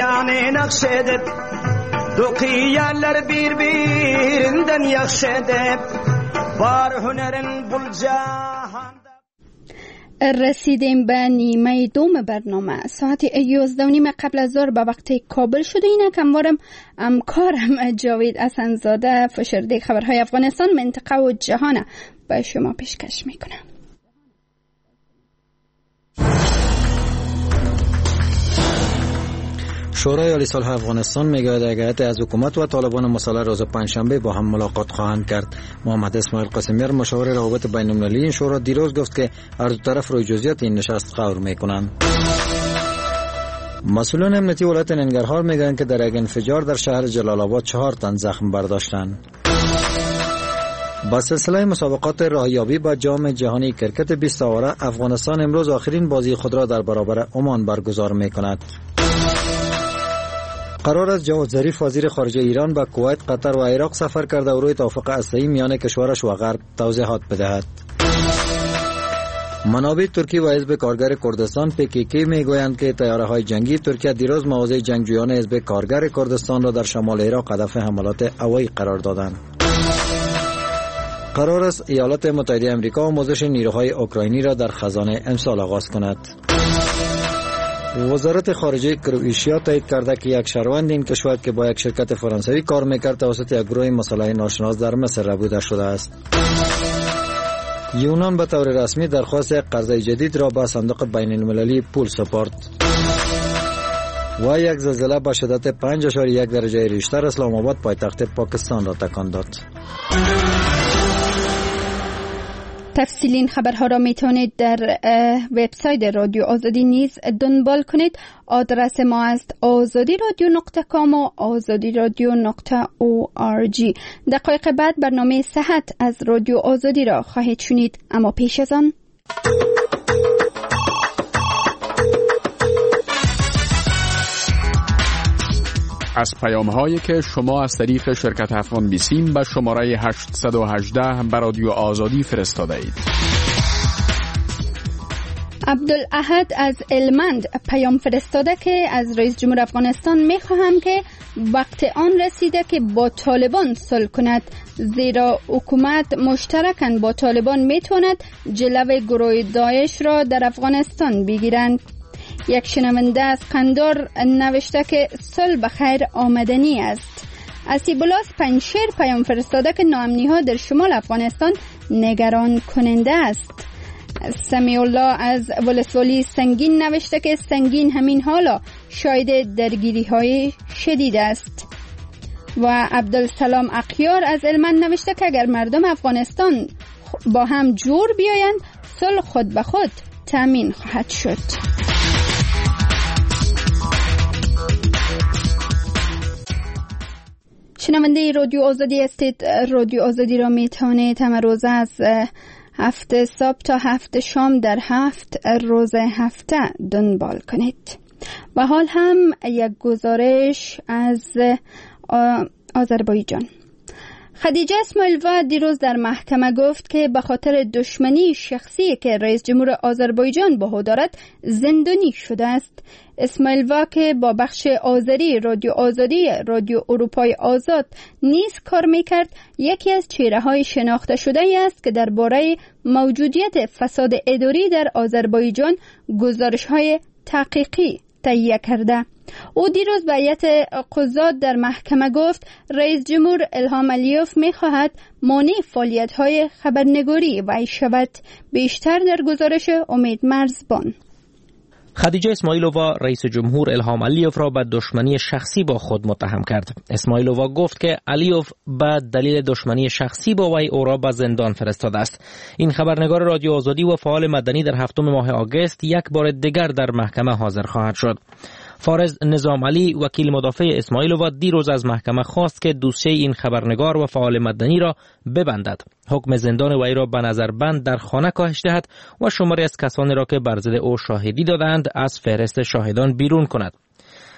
yani naqsh edip Dokiyerler birbirinden yaxşı edip var hünerin bul cahanda. رسیدیم به نیمه دوم برنامه. ساعت یازده و نیم قبل از ظهر به وقت کابل شده. اینک هموارم همکارم جاوید حسن‌زاده فشرده خبرهای افغانستان، منطقه و جهان به شما پیشکش میکنم. شورای عالی صلح افغانستان میگوید هیئت از حکومت و طالبان مسلح روز پنجشنبه با هم ملاقات خواهند کرد. محمد اسماعیل قاسمیار مشاور روابط بین المللی این شورا دیروز گفت که هر دو طرف روی جزئیات این نشست غور میکنند. مسئولان امنیتی ولایت ننگرهار میگویند که در یک انفجار در شهر جلال آباد چهار تن زخم برداشتند. با سلسله مسابقات راهیابی با جام جهانی کرکت بیست آوره، افغانستان امروز آخرین بازی خود را در برابر عمان برگزار میکند. قرار است جواد ظریف وزیر خارجه ایران به کویت، قطر و عراق سفر کرده و روی توافق هسته‌ای میان کشورش و غرب توضیحات بدهد. منابع ترکی و حزب کارگر کردستان پی کی کی میگویند که طیاره های جنگی ترکیه دیروز مواضع جنگجویان حزب کارگر کردستان را در شمال عراق هدف حملات هوایی قرار دادند. قرار است ایالات متحده آمریکا آموزش نیروهای اوکراینی را در خزانه امسال آغاز کند. وزارت خارجه کرواتیا تایید کرده که یک شهروند این کشور که با یک شرکت فرانسوی کار میکرد توسط یک گروه مسلح ناشناس در مصر ربوده شده است. یونان به طور رسمی درخواست یک قرضه جدید را به صندوق بین المللی پول سپرد. و یک زلزله با شدت پنج اعشاریه یک درجه ریشتر اسلام آباد پایتخت پاکستان را تکان داد. تفصیل این خبرها را می توانید در وبسایت رادیو آزادی نیز دنبال کنید. آدرس ما است آزادی رادیو نقطه کام و آزادی رادیو نقطه او آر جی. دقایق بعد برنامه صحت از رادیو آزادی را خواهید شنید، اما پیش از آن از پیام هایی که شما از طریق شرکت افغان بیسیم به شماره هشت یک هشت به رادیو آزادی فرستاده اید. عبدالاحد از المند پیام فرستاده که از رئیس جمهور افغانستان میخواهم که وقت آن رسیده که با طالبان صلح کند، زیرا حکومت مشترکاً با طالبان میتواند جلو گروه داعش را در افغانستان بگیرند. یک شنونده از قندار نوشته که صلح به خیر آمدنی است. اسیبولاس پنجشیر پیام فرستاده که ناامنی ها در شمال افغانستان نگران کننده است. سمیع الله از ولسوالی سنگین نوشته که سنگین همین حالا شاهد درگیری های شدید است. و عبدالسلام اقیار از المند نوشته که اگر مردم افغانستان با هم جور بیایند صلح خود به خود تامین خواهد شد. شنونده رادیو آزادی هستید. رادیو آزادی را می توانید همه روزه از هفت صبح تا هفت شام در هفت روز هفته دنبال کنید. و حال هم یک گزارش از آذربایجان. خدیجه اسماعیلوا دیروز در محکمه گفت که به خاطر دشمنی شخصی که رئیس جمهور آذربایجان با او دارد زندانی شده است. اسماعیلوا که با بخش آذری رادیو آزادی رادیو اروپای آزاد نیز کار میکرد، یکی از چهره‌های شناخته شده است که درباره موجودیت فساد اداری در آذربایجان گزارش‌های تحقیقی تهیه کرده. او دیروز به هیئت قضات در محکمه گفت رئیس جمهور الهام علیوف می‌خواهد مانع فعالیت‌های خبرنگاری وی شود. بیشتر در گزارش امید مرزبان. خدیجه اسماعیلووا رئیس جمهور الهام علیوف را به دشمنی شخصی با خود متهم کرد. اسماعیلووا گفت که علیوف به دلیل دشمنی شخصی با وی او را به زندان فرستاده است. این خبرنگار رادیو آزادی و فعال مدنی در هفتم ماه آگوست یک بار دیگر در محکمه حاضر خواهد شد. فارز نظام علی وکیل مدافع اسماعیلووا دیروز از محکمه خواست که دوسیه این خبرنگار و فعال مدنی را ببندد، حکم زندان وی را به نظر بند در خانه کاهش دهد و شماری از کسانی را که بر ضد او شاهدی دادند از فهرست شاهدان بیرون کند.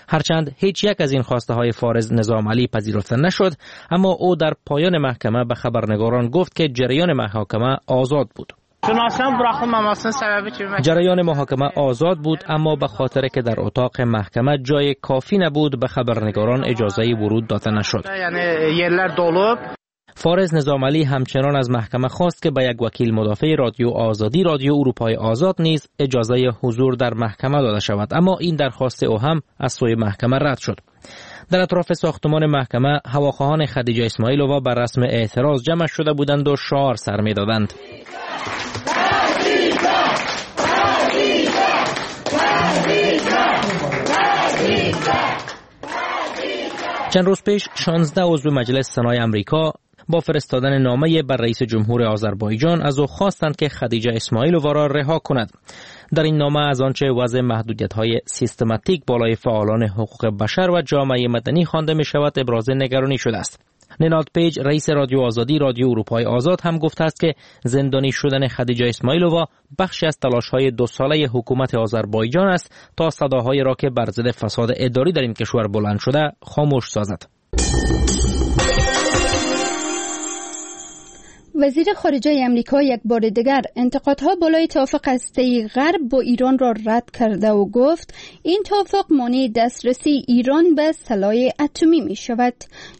هرچند هیچ یک از این خواسته های فارز نظام علی پذیرفته نشد، اما او در پایان محکمه به خبرنگاران گفت که جریان محاکمه آزاد بود. جریان محاکمه آزاد بود، اما به خاطر که در اتاق محکمه جای کافی نبود به خبرنگاران اجازه ورود داده نشد. فارز نظام علی همچنان از محکمه خواست که به یک وکیل مدافع رادیو آزادی رادیو اروپای آزاد نیز اجازه حضور در محکمه داده شود، اما این درخواست او هم از سوی محکمه رد شد. در اطراف ساختمان محکمه هواخواهان خدیجه اسماعیلووا بر رسم اعتراض جمع شده بودند و شعار سر می‌دادند. چند روز پیش شانزده عضو مجلس سنای امریکا با فرستادن نامه بر رئیس جمهور آذربایجان از او خواستند که خدیجه اسماعیلووا را رها کند. در این نامه از آنچه وضع محدودیت‌های سیستماتیک بالای فعالان حقوق بشر و جامعه مدنی خوانده می‌شود ابراز نگرانی شده است. نناد پیج رئیس رادیو آزادی رادیو اروپای آزاد هم گفته است که زندانی شدن خدیجه اسماعیلووا بخشی از تلاش‌های دو ساله حکومت آذربایجان است تا صداهای را که بر ضد فساد اداری در این کشور بلند شده خاموش سازد. وزیر خارجه امریکا یک بار دیگر انتقادها بالای توافق هسته‌ای غرب با ایران را رد کرده و گفت این توافق مانع دسترسی ایران به سلاح اتمی می شود.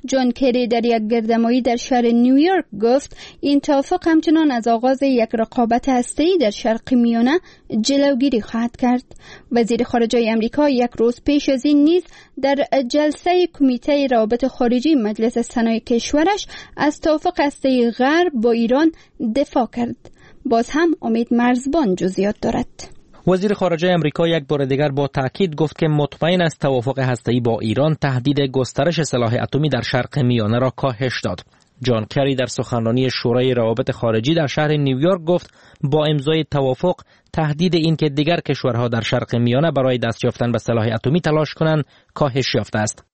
جان کری در یک گردهمایی در شهر نیویورک گفت این توافق همچنان از آغاز یک رقابت هسته‌ای در شرق میانه جلوگیری خواهد کرد. وزیر خارجه امریکا یک روز پیش از این نیز در جلسه کمیته روابط خارجی مجلس سنای کشورش از توافق هسته‌ای غرب با ایران دفاع کرد. باز هم امید مرزبان جزئیات دارد. وزیر خارجه امریکا یک بار دیگر با تاکید گفت که مطمئن است توافق هسته‌ای با ایران تهدید گسترش سلاح اتمی در شرق میانه را کاهش داد. جان کری در سخنرانی شورای روابط خارجی در شهر نیویورک گفت با امضای توافق تهدید این که دیگر کشورها در شرق میانه برای دست یافتن به سلاح اتمی تلاش کنند کاهش یافته است.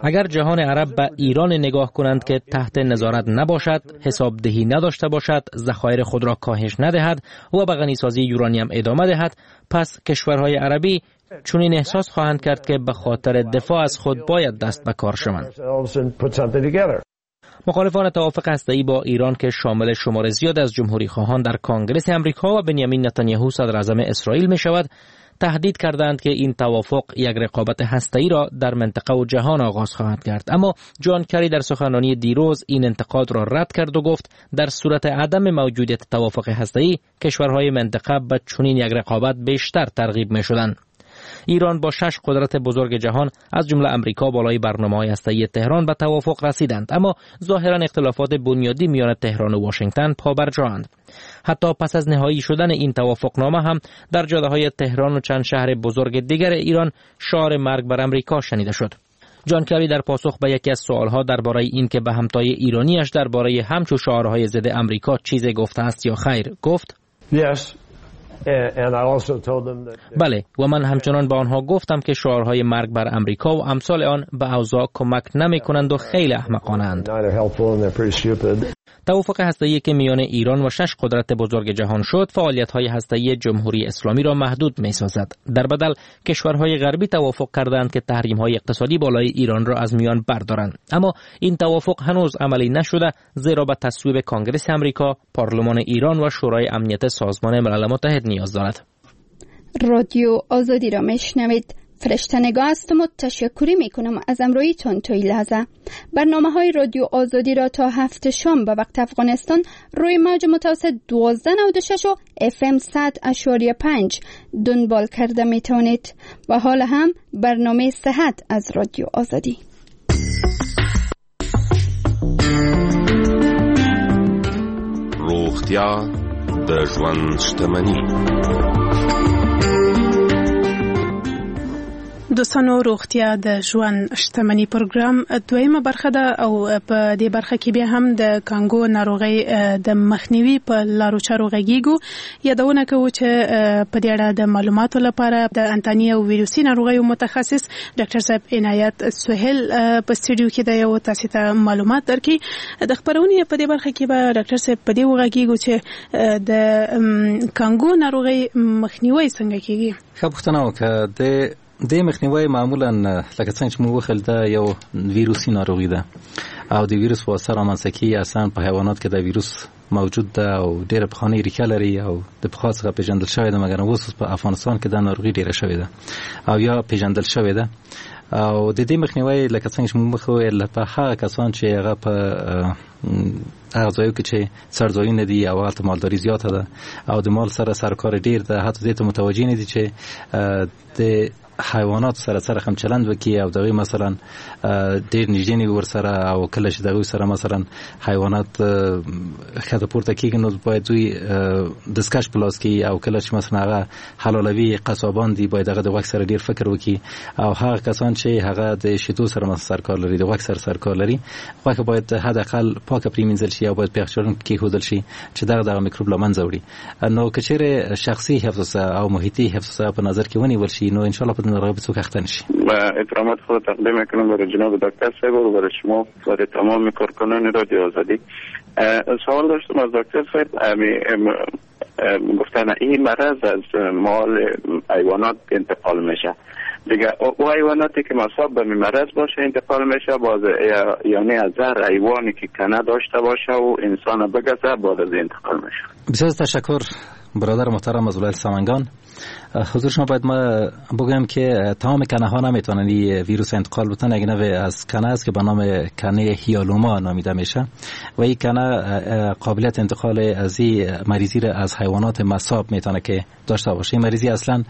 اگر جهان عرب به ایران نگاه کنند که تحت نظارت نباشد، حسابدهی نداشته باشد، ذخایر خود را کاهش ندهد و به غنیسازی یورانیم ادامه دهد، پس کشورهای عربی چنین احساس خواهند کرد که به خاطر دفاع از خود باید دست به کار شوند. مخالفان توافق هسته‌ای با ایران که شامل شمار زیاد از جمهوری خواهان در کانگرس امریکا و بنیامین نتانیاهو صدر اعظم اسرائیل می شود، تهدید کردند که این توافق یک رقابت هسته‌ای را در منطقه و جهان آغاز خواهد کرد. اما جان کری در سخنرانی دیروز این انتقاد را رد کرد و گفت در صورت عدم موجودیت توافق هسته‌ای کشورهای منطقه به چنین یک رقابت بیشتر ترغیب می شدند. ایران با شش قدرت بزرگ جهان از جمله امریکا بالای برنامه‌های هسته‌ای تهران به توافق رسیدند، اما ظاهرا اختلافات بنیادی میان تهران و واشنگتن پابرجااند. حتی پس از نهایی شدن این توافقنامه هم در جاده‌های تهران و چند شهر بزرگ دیگر ایران شعار مرگ بر امریکا شنیده شد. جان کری در پاسخ به یکی از سوالها درباره این که به همتای ایرانیش درباره همچو شعارهای ضد امریکا چیزی گفته است یا خیر گفت: Yes. بله، و من همچنان به آنها گفتم که شعارهای مرگ بر امریکا و امثال آن به اوضاع کمک نمی کنند و خیلی احمقانه اند. توافق هسته‌ای که میان ایران و شش قدرت بزرگ جهان شد، فعالیت‌های هسته‌ای جمهوری اسلامی را محدود می‌سازد. در بدل کشورهای غربی توافق کردند که تحریم‌های اقتصادی بالای ایران را از میان بردارند. اما این توافق هنوز عملی نشده، زیرا به تصویب کانگرس امریکا، پارلمان ایران و شورای امنیت سازمان ملل متحد نیاز دارد. رادیو آزادی را میشنوید. فرشته نگاه هستم و تشکری میکنم از امرویتون تا این لحظه. برنامه های رادیو آزادی را تا هفت شام به وقت افغانستان روی موج متوسط دوازده نود و شش و اف ام صد اعشاریه پنج دنبال کرده میتونید. و حال هم برنامه صحت از رادیو آزادی. روغتیا د ژوند شتمني. دوستانو، روغتیا د ژوند شتمني پروګرام دویمه برخه ده او په دې برخه کې بیا هم د کانګو ناروغۍ د مخنیوي په لارو چارو غږیږو. یادونه کوو چې په دې اړه د معلوماتو لپاره د انتاني او ویروسي ناروغیو متخصص ډاکټر صاحب عنایت سهیل په سټډیو کې دی او تاسو ته معلومات درکړي. د خبرونې په دې برخه کې به ډاکټر صاحب په دې وغږیږو چې د کانګو ناروغۍ مخنیوي څنګه کیږي. ښه پوښتنه وکړه. د د مخنیوي معمولا لکه څنګه چې موږ وخیل دا یو ویروسي ناروغي ده او د ویروس په واسطه رامنځته کیږي. اصلا په حیوانات کې دا ویروس موجود ده او ډیره پخوانۍ ریښه لري او د پخوا څخه پیژندل شوې ده، مګر اوس په افغانستان کې دا ناروغي ډیره شوې ده او یا پیژندل شوې ده. او د دې مخنیوي لکه څنګه چې موږ مخکې وویل په هغه کسان چې هغه په هغه ځایو کې چې څړځایونه دي او هلته مالداري زیاته ده او د مال سره سرکار ډیر ده، حتی دې ته متوجه نه دي چې د حیوانات سره سره هم چلند وکړي او دغه مثلا ډیر نږدې نه ورسره او کله چې دغه سره مثلا حیوانات ښکته پورته کیږي نو باید دوی دستکش په لاس کړي او کله چې مثلا هغه حلالوي قصابان دي باید هغه د غوښ سره ډیر فکر وکړي. او هغه کسان چې هغه د شیدو سره مثلا سرکار لري، د غوښ سره سرکار لري، غوښه باید حد اقل پاکه پریمنځل شي او باید په یخچالونو کې کېښودل شي چې دغه دغه میکروب له منځه وړي. نو که چیرې شخصي حفظ او محیطي حفظ په نظر کې ونیول شي نو ان شاء الله په ناروغی به څوک اخته نشي. و احترامات خود تقدیم میکنم برای جناب دکتر صاحب و برای شما برای تمام کارکنان رادیو آزادی. سوال داشتم از دکتر صاحب، گفتن این مرض از مال حیوانات انتقال میشه دیگه، او حیواناتی که مصاب به مرض باشه انتقال میشه باز، یعنی از هر حیوانی که کنه داشته باشه و انسان بگزه بعد از انتقال میشه. بسیار تشکر برادر محترم از ولایت سمنگان. حضور شما باید ما بگویم که تمام کنه ها نمیتونن این ویروس انتقال بدن. یک نوع از کنه است که به نام کنه هیالوما نامیده میشه و این کنه قابلیت انتقال از این مریضی را از حیوانات مصاب میتونه که داشته باشه. این مریضی اصلا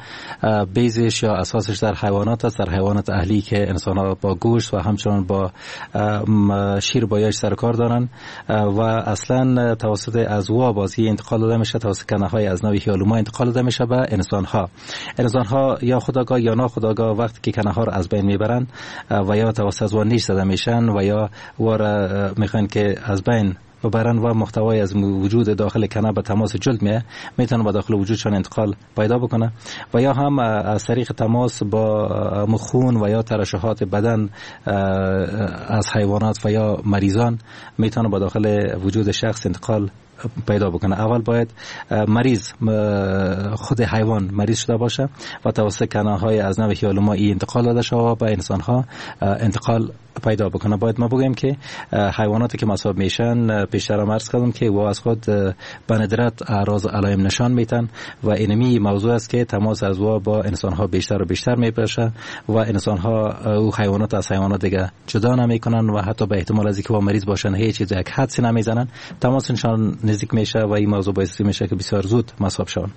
بیزش یا اساسش در حیوانات است، در حیوانات اهلی که انسان ها با گوشت و همچنان با شیر بایش سر کار دارن و اصلا توسط از وا بازی انتقال داده میشه، توسط کنه های از نوع هیالوما انتقال داده میشه به انسان ها. انسان ها یا خودآگاه یا ناخودآگاه وقتی که کنه ها رو از بین میبرن و یا توسط از وا نیش زده میشن و یا وارا میخوان که از بین ببرن و محتوای از وجود داخل کنه به تماس جلد میه، میتونه به داخل وجودشان انتقال پیدا بکنه و یا هم از طریق تماس با مخون و یا ترشحات بدن از حیوانات و یا مریضان میتونه به داخل وجود شخص انتقال پیدا بکنه. اول باید مریض خود حیوان مریض شده باشه و توسط کنه های از نوع هیالوما ای انتقال داده شود به انسان ها انتقال پیدا بکنه. باید ما بگیم که حیواناتی که مصاب میشن، پیشتر هم عرض کردم که وا از خود به ندرت اعراض علائم نشان میتن و اینمی موضوع است که تماس از وا با انسان ها بیشتر و بیشتر میپشه و انسان ها او حیوانات از حیوانات دیگه جدا نمیکنن و حتی به احتمال از اینکه وا مریض باشن هیچ چیز یک حدسی نمیزنن، تماسشان نزدیک میشه و این موضوع باعث میشه که بسیار زود مصاب شون.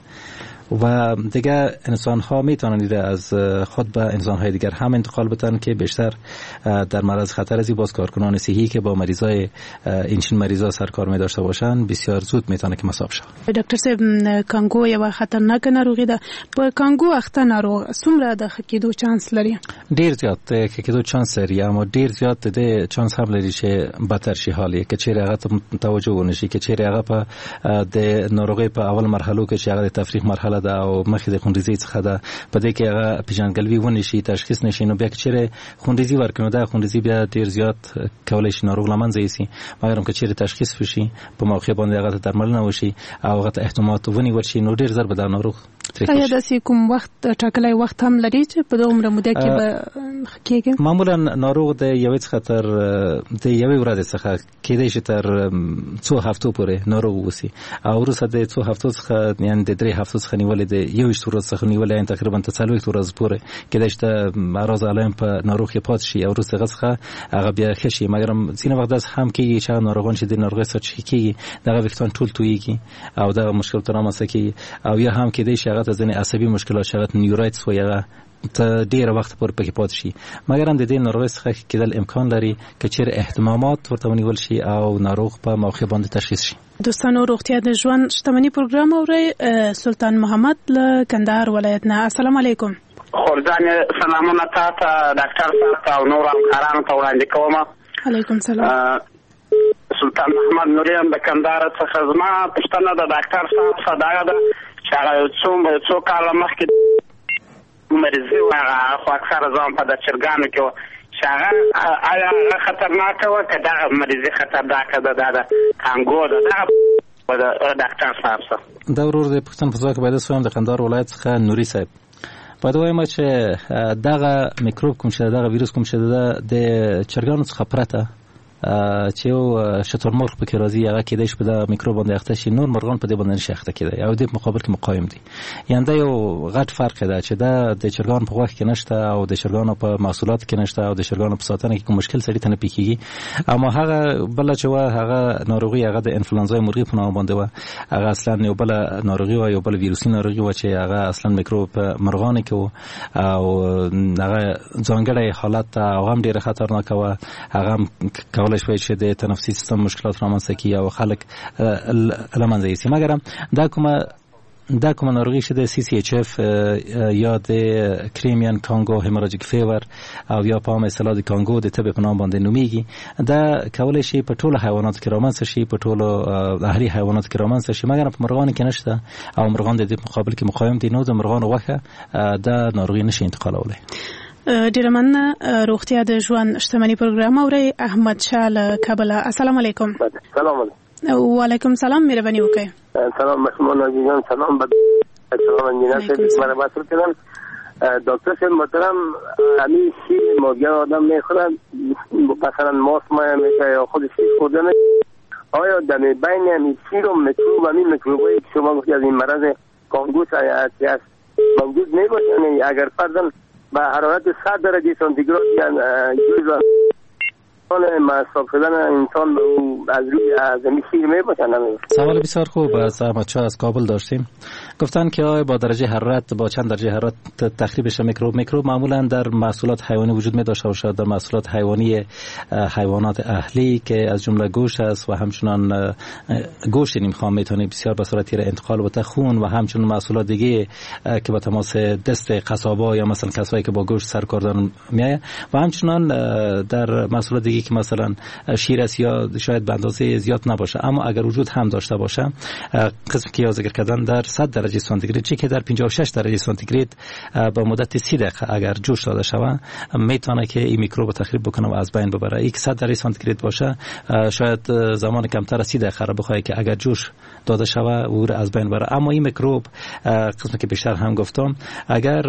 و دیگه انسان ها میتونن از خود به انسان های دیگر هم انتقال بدن که بیشتر در معرض خطر از باز کارکنان صحی که با مریضای اینچین مریضا سرکار می داشته باشن بسیار زود میتونه که مصاب شون. ډاکټر صاحب، کانګو یو خطرناک ناروغي ده. په کانګو اخته ناروغ څومره د ښه کېدو چانس لري؟ ډیر زیات د ښه کېدو چانس لري، اما ډیر زیات د چانس هم لري چې بدتر شي حال یې، که چیرې هغه ته توجه ونشي، که چیرې هغه په د ناروغۍ په اول مرحلو کې چې هغه د تفریح مرحله ده او مخې د خونریزۍ څخه ده، په دې کې هغه پیژندګلوي ونشي، تشخیص نشي، نو بیا که چیرې خونریزي ورکړي نو دا خونریزي بیا ډیر زیات کولای شي ناروغ له منځه یوسي. مګر که چیرې تشخیص وشي، په موقع باندې هغه ته درملنه وشي او هغه ته احتمالات ونیول شي، نو ډیر زر به دا ناروغ ترې آیا داسې کوم وخت ټاکلی وخت هم لري چې په دومره موده کې به ښه کېږي؟ معمولا ناروغ د یوې څخه تر د یوې ورځې څخه کېدای شي تر څو هفتو پورې ناروغ اوسي او وروسته د څو هفتو څخه، یعنې د درې هفتو څخه نیولې د یوویشت ورځو څخه نیولې یعنې تقریبا تر څلوېښت ورځو پورې کېدای شي د اعراض علائم په ناروغ کې پاتې شي او وروسته هغه څخه هغه بیا ښه شي. مګر ځینې وخت داسې هم کېږي چې هغه ناروغان چې د ناروغۍ سره چې کېږي دغه ویښتان ټول تویږي او دغه مشکل ته رامنځته کېږي، او یا هم کېدای شي هغه ته ځینې عصبي مشکلات چې هغه ته neuritis وایي هغه ته ډېره وخت پورې پکې پاتې شي. مګر هم د دې ناروغۍ څخه ښه کېدل امکان لري که چېرې اهتمامات ورته ونیول شي او ناروغ په موقع باندې تشخیص شي. دوستانو، روغتیا د ژوند شتمني پروګرام اورئ. سلطان محمد له کندهار ولایت نه، السلام علیکم. خورجانې سلامونه تا ته، ډاکټر صاحب ته او نورو همکارانو ته وړاندې کوم. علیکم سلام. سلطان محمد نوري یم د کندهار څخه. زما پوښتنه د ډاکټر صاحب څخه دغه ده چې هغه یو څو څو کاله مخکې مریضي وه، هغه خو اکثره ځان په د چرګانو کې وه، چې هغه آیا هغه خطرناکه وه که دغه مریضي خطرناکه ده؟ دا د کانګو ده، دغه ډاکټر صاحب څخه. دا ورور د پوښتنې په ځواب کې باید ووایم د کندهار ولایت څخه نوري صاحب باید ووایم چې دغه میکروب کوم چې دغه ویروس کوم چې ده د چرګانو څخه پرته چې یو شترمرغ پکې راځي هغه کېدای شي په دغه میکروب باندې اخته شي، نور مرغان په دې باندې نشي اخته کېدای او د مقابل کې مقاوم دي. یعنې دا یو غټ فرق ده چې دا د چرګانو په غوښه کې نشته او د چرګانو په محصولاتو کې نشته او د چرګانو په ساتنه کې کوم مشکل سړي ته نه پېښېږي. اما هغه بله چې وه هغه ناروغي هغه د انفلوانزای مرغي په نامه باندې وه، هغه اصلا یو بله ناروغي وه، یو بله ویروسي ناروغي وه چې هغه اصلا میکروب په مرغانو کې و او هغه ځانګړی حالت او هم ډېره خطرناکه وه. هغه هم کولای شوی چې د تنفسي سیستم مشکلات رامنځته کړي او خلک له منځه یوسي. مګر دا کومه دا کومه ناروغي چې د سی سی اچ اف یا د Crimean Congo hemorrhagic fever او یا په عامه اصطلاح د کانګو د تبې په نام باندې نومیږي، دا کولای شي په ټولو حیواناتو کې رامنځته شي، په ټولو اهلي حیواناتو کې رامنځته شي، مګر په مرغانو کې نشته او مرغان د دې په مقابل کې مقاوم دي، نو د مرغانو غوښه دا ناروغي نشي انتقالولی. ډیره مننه. روغتیا د ژوند شتمني پروګرام اورئ. احمد شاه له کابله، السلام علیکم. سلام علیکم. وعلیکم سلام، مهرباني وکړئ. سلام مشمون عزیزان، سلام به سلام انجینر صاحب مرا وصل کردن. دکتر صاحب محترم، همین شیر ماهیان آدم میخورن، مثلا ماست مایه میشه یا خود شیر خورده میشه، آیا در بین همین شیر و میکروب، همین میکروبایی که شما گفتی از این مرض کانگوس هست موجود میباشه؟ اگر فرضاً به حرارت صد درجه سانتیگراد جوز مصاب شدن انسان به او از روی از این شیر میباشن؟ سوال بسیار خوب از احمد شاه از کابل داشتیم. گفتن که آیا با درجه حرارت، با چند درجه حرارت تخریب میکروب؟ میکروب معمولا در محصولات حیوانی وجود می داشته باشد، در محصولات حیوانی حیوانات اهلی که از جمله گوشت است و همچنان گوشت نیمخام میتونه بسیار به سرعت انتقال بده خون و همچنان محصولات دیگه که با تماس دست قصابا یا مثلا کسایی که با گوشت سر کار دارن میایه و همچنان در محصولات دیگه که مثلا شیر است یا شاید به اندازه زیاد نباشه، اما اگر وجود هم داشته باشه قسمی که ذکر کردن در صد درجه سانتیگراد چه که در پنجاه و شش درجه سانتیگراد به مدت سی دقیقه اگر جوش داده شود میتونه که این میکروب تخریب بکنه و از بین ببره. یک صد درجه سانتیگراد باشه شاید زمان کمتر از سی دقیقه را بخواد که اگر جوش داده شود او را از بین ببره. اما این میکروب قسمی که بیشتر هم گفتم اگر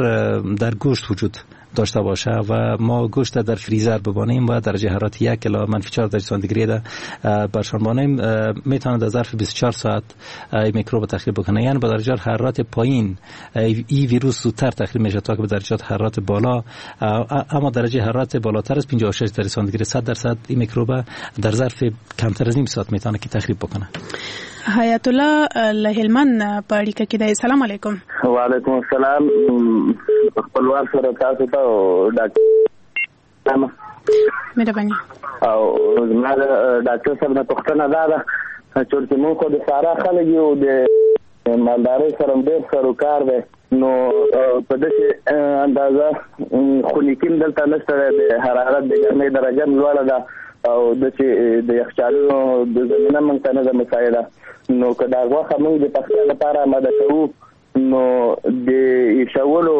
در گوشت وجود داشته باشه و ما گوشت در فریزر ببانیم و درجه حرارت یک الی منفی چهار درجه سانتیگراد برشان بانیم میتونه در ظرف بیست و چهار ساعت این میکروب تخریب بکنه. یعنی با درجه حرارت پایین این ویروس زودتر تخریب میشه تا که به درجات حرارت بالا، اما درجه حرارت بالاتر از پنجاه و شش درجه سانتیگراد صد درصد این میکروب در ظرف کمتر از نیم ساعت میتونه که تخریب بکنه. حیات الله له هلمند په اړیکه کې دی. سلام علیکم. وعلیکم السلام. خپلوان سره تاسو ته ډاکټر مهرباني. او زما د ډاکټر صاحب نه پوښتنه دا ده چې موږ خو د سارا خلک یو، د مالدارۍ سره ډېر سروکار دی، نو په داسې اندازه خنکي دلته نشته، د حرارت د ګرمۍ درجه هم لوړه ده او داسې د یخچالونو د زمینه موږ ته نه ده مساعده، نو که دا غوښه موږ د پخلي لپاره آماده کوو نو د ایشولو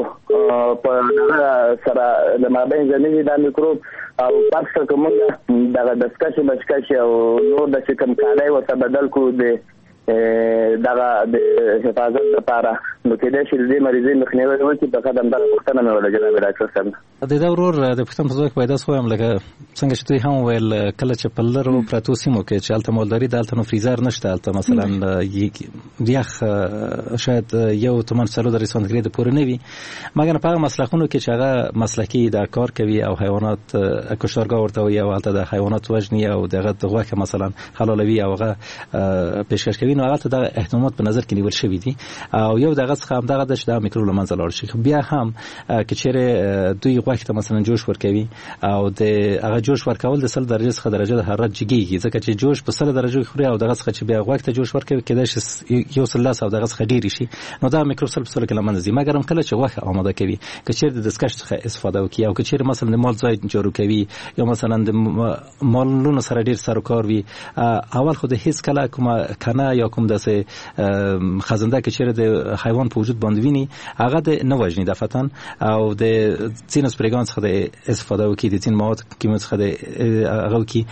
په دغه سره له مابینځه نه ځي دا میکروب، او فرض کړه که موږ دغه دستکشې بشکشې او نور داسې کوم کالی ورته بدل کړو د دغه د حفاظت لپاره، نو کېدای شي د دې مریضۍ مخنیوی وکړي. فقط همدغه پوښتنه مې وله جناب ډاکټر صاحب. د ده ورور د پوښتنې په ځواب کې باید داسې ووایم لکه څنګه چې دوی هم وویل کله چې په لرو پرتو سیمو کې چې هلته مالداري ده هلته نو فریزر نشته، هلته مثلا یخ شاید یو تومن څلور درې سانتي ګراد پورې نه وي، مګر په هغه مسلخونو کې چې هغه مسلکي دا کار کوي او حیوانات کشتارګاه ورته وایي او هلته د حیوانات وژني او دغه د غوښه مثلا حلالوي او هغه پیشکش کوي، نو هلته دغه اهتمامات په نظر کې نیول شوي دي او یو دغه څخه هم دغه د چې دا میکروب له منځه لاړ شي. بیا هم که چیرې دوی غوښې ته مثلا جوش ورکوي او د هغه جوش ورکول د سل درجې څخه درجه د حرارت جګیږي، ځکه چې جوش په سل درجو کې خوري او دغه څخه چې بیا غوښې ته جوش ورکوي کېدای شي یو سل لس او دغه څخه ډېر شي، نو دا میکروب سل په سلو کې له منځه ځي. مګر هم کله چې غوښه آماده کوي که چیرې د دستکش څخه استفاده وکړي او که چیرې مثلا د مال ځای جارو کوي یا مثلا د مالونو سره ډېر سر و کار وي، اول خو د هیڅ کله کومه کنه یا کوم داسې خزنده که چیرې د حیوان په وجود باندې ویني هغه د نه وژني دفعتاً او د ځینو سپریګان څخه د استفاده وکړي، د ځین مواد کیمیاوي څخه د هغه وکړي